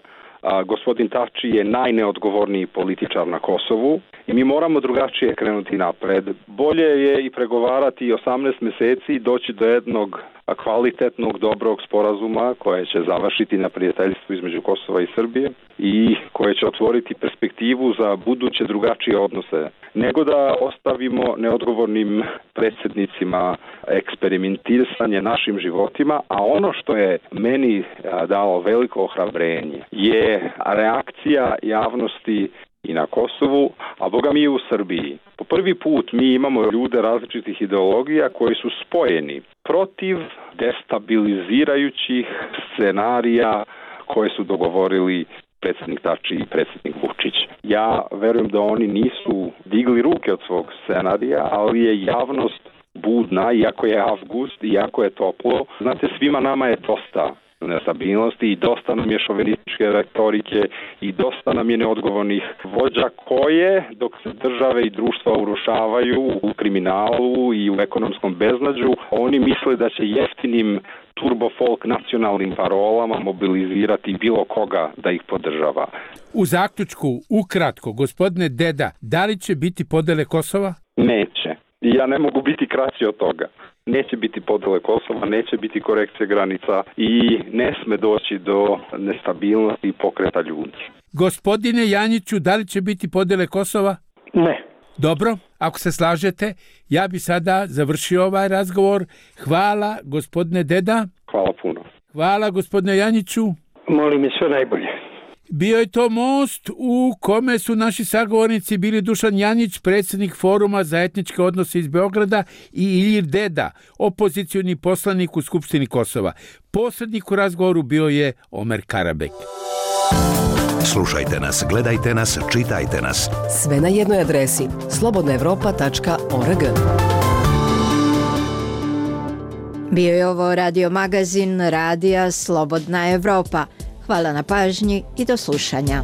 S14: Gospodin Tači je najneodgovorniji političar na Kosovu i mi moramo drugačije krenuti napred. Bolje je i pregovarati 18 meseci i doći do jednog kvalitetnog, dobrog sporazuma koje će završiti na prijateljstvu između Kosova i Srbije i koje će otvoriti perspektivu za buduće drugačije odnose, nego da ostavimo neodgovornim predsjednicima eksperimentiranje našim životima, a ono što je meni dalo veliko ohrabrenje je reakcija javnosti i na Kosovu, a boga mi i u Srbiji. Po prvi put mi imamo ljude različitih ideologija koji su spojeni protiv destabilizirajućih scenarija koje su dogovorili predsjednik Tači i predsjednik Vučić. Ja verujem da oni nisu digli ruke od svog scenarija, ali je javnost budna, iako je avgust, iako je toplo. Znate, svima nama je dosta nestabilnosti i dosta nam je šovinističke retorike i dosta nam je neodgovornih vođa koje, dok se države i društva urušavaju u kriminalu i u ekonomskom beznađu, oni misle da će jeftinim turbofolk nacionalnim parolama mobilizirati bilo koga da ih podržava.
S12: U zaključku, ukratko, gospodine Deda, da li će biti podele Kosova?
S14: Neće. Ja ne mogu biti kraći od toga. Neće biti podele Kosova, neće biti korekcije granica i ne sme doći do nestabilnosti i pokreta ljudi.
S12: Gospodine Janjiću, da li će biti podele Kosova?
S13: Ne.
S12: Dobro, ako se slažete, ja bi sada završio ovaj razgovor. Hvala, gospodine Deda.
S14: Hvala puno.
S12: Hvala, gospodine Janjiću.
S13: Molim i sve najbolje.
S12: Bio je to most u kome su naši sagovornici bili Dušan Janjić, predsjednik Foruma za etničke odnose iz Beograda, i Ilir Deda, opozicioni poslanik u Skupštini Kosova. Posrednik u razgovoru bio je Omer Karabek.
S7: Slušajte nas, gledajte nas, čitajte nas.
S4: Sve na jednoj adresi slobodnaevropa.org.
S2: Bio je ovo radio magazin Radija Slobodna Evropa. Hvala na pažnji i do slušanja.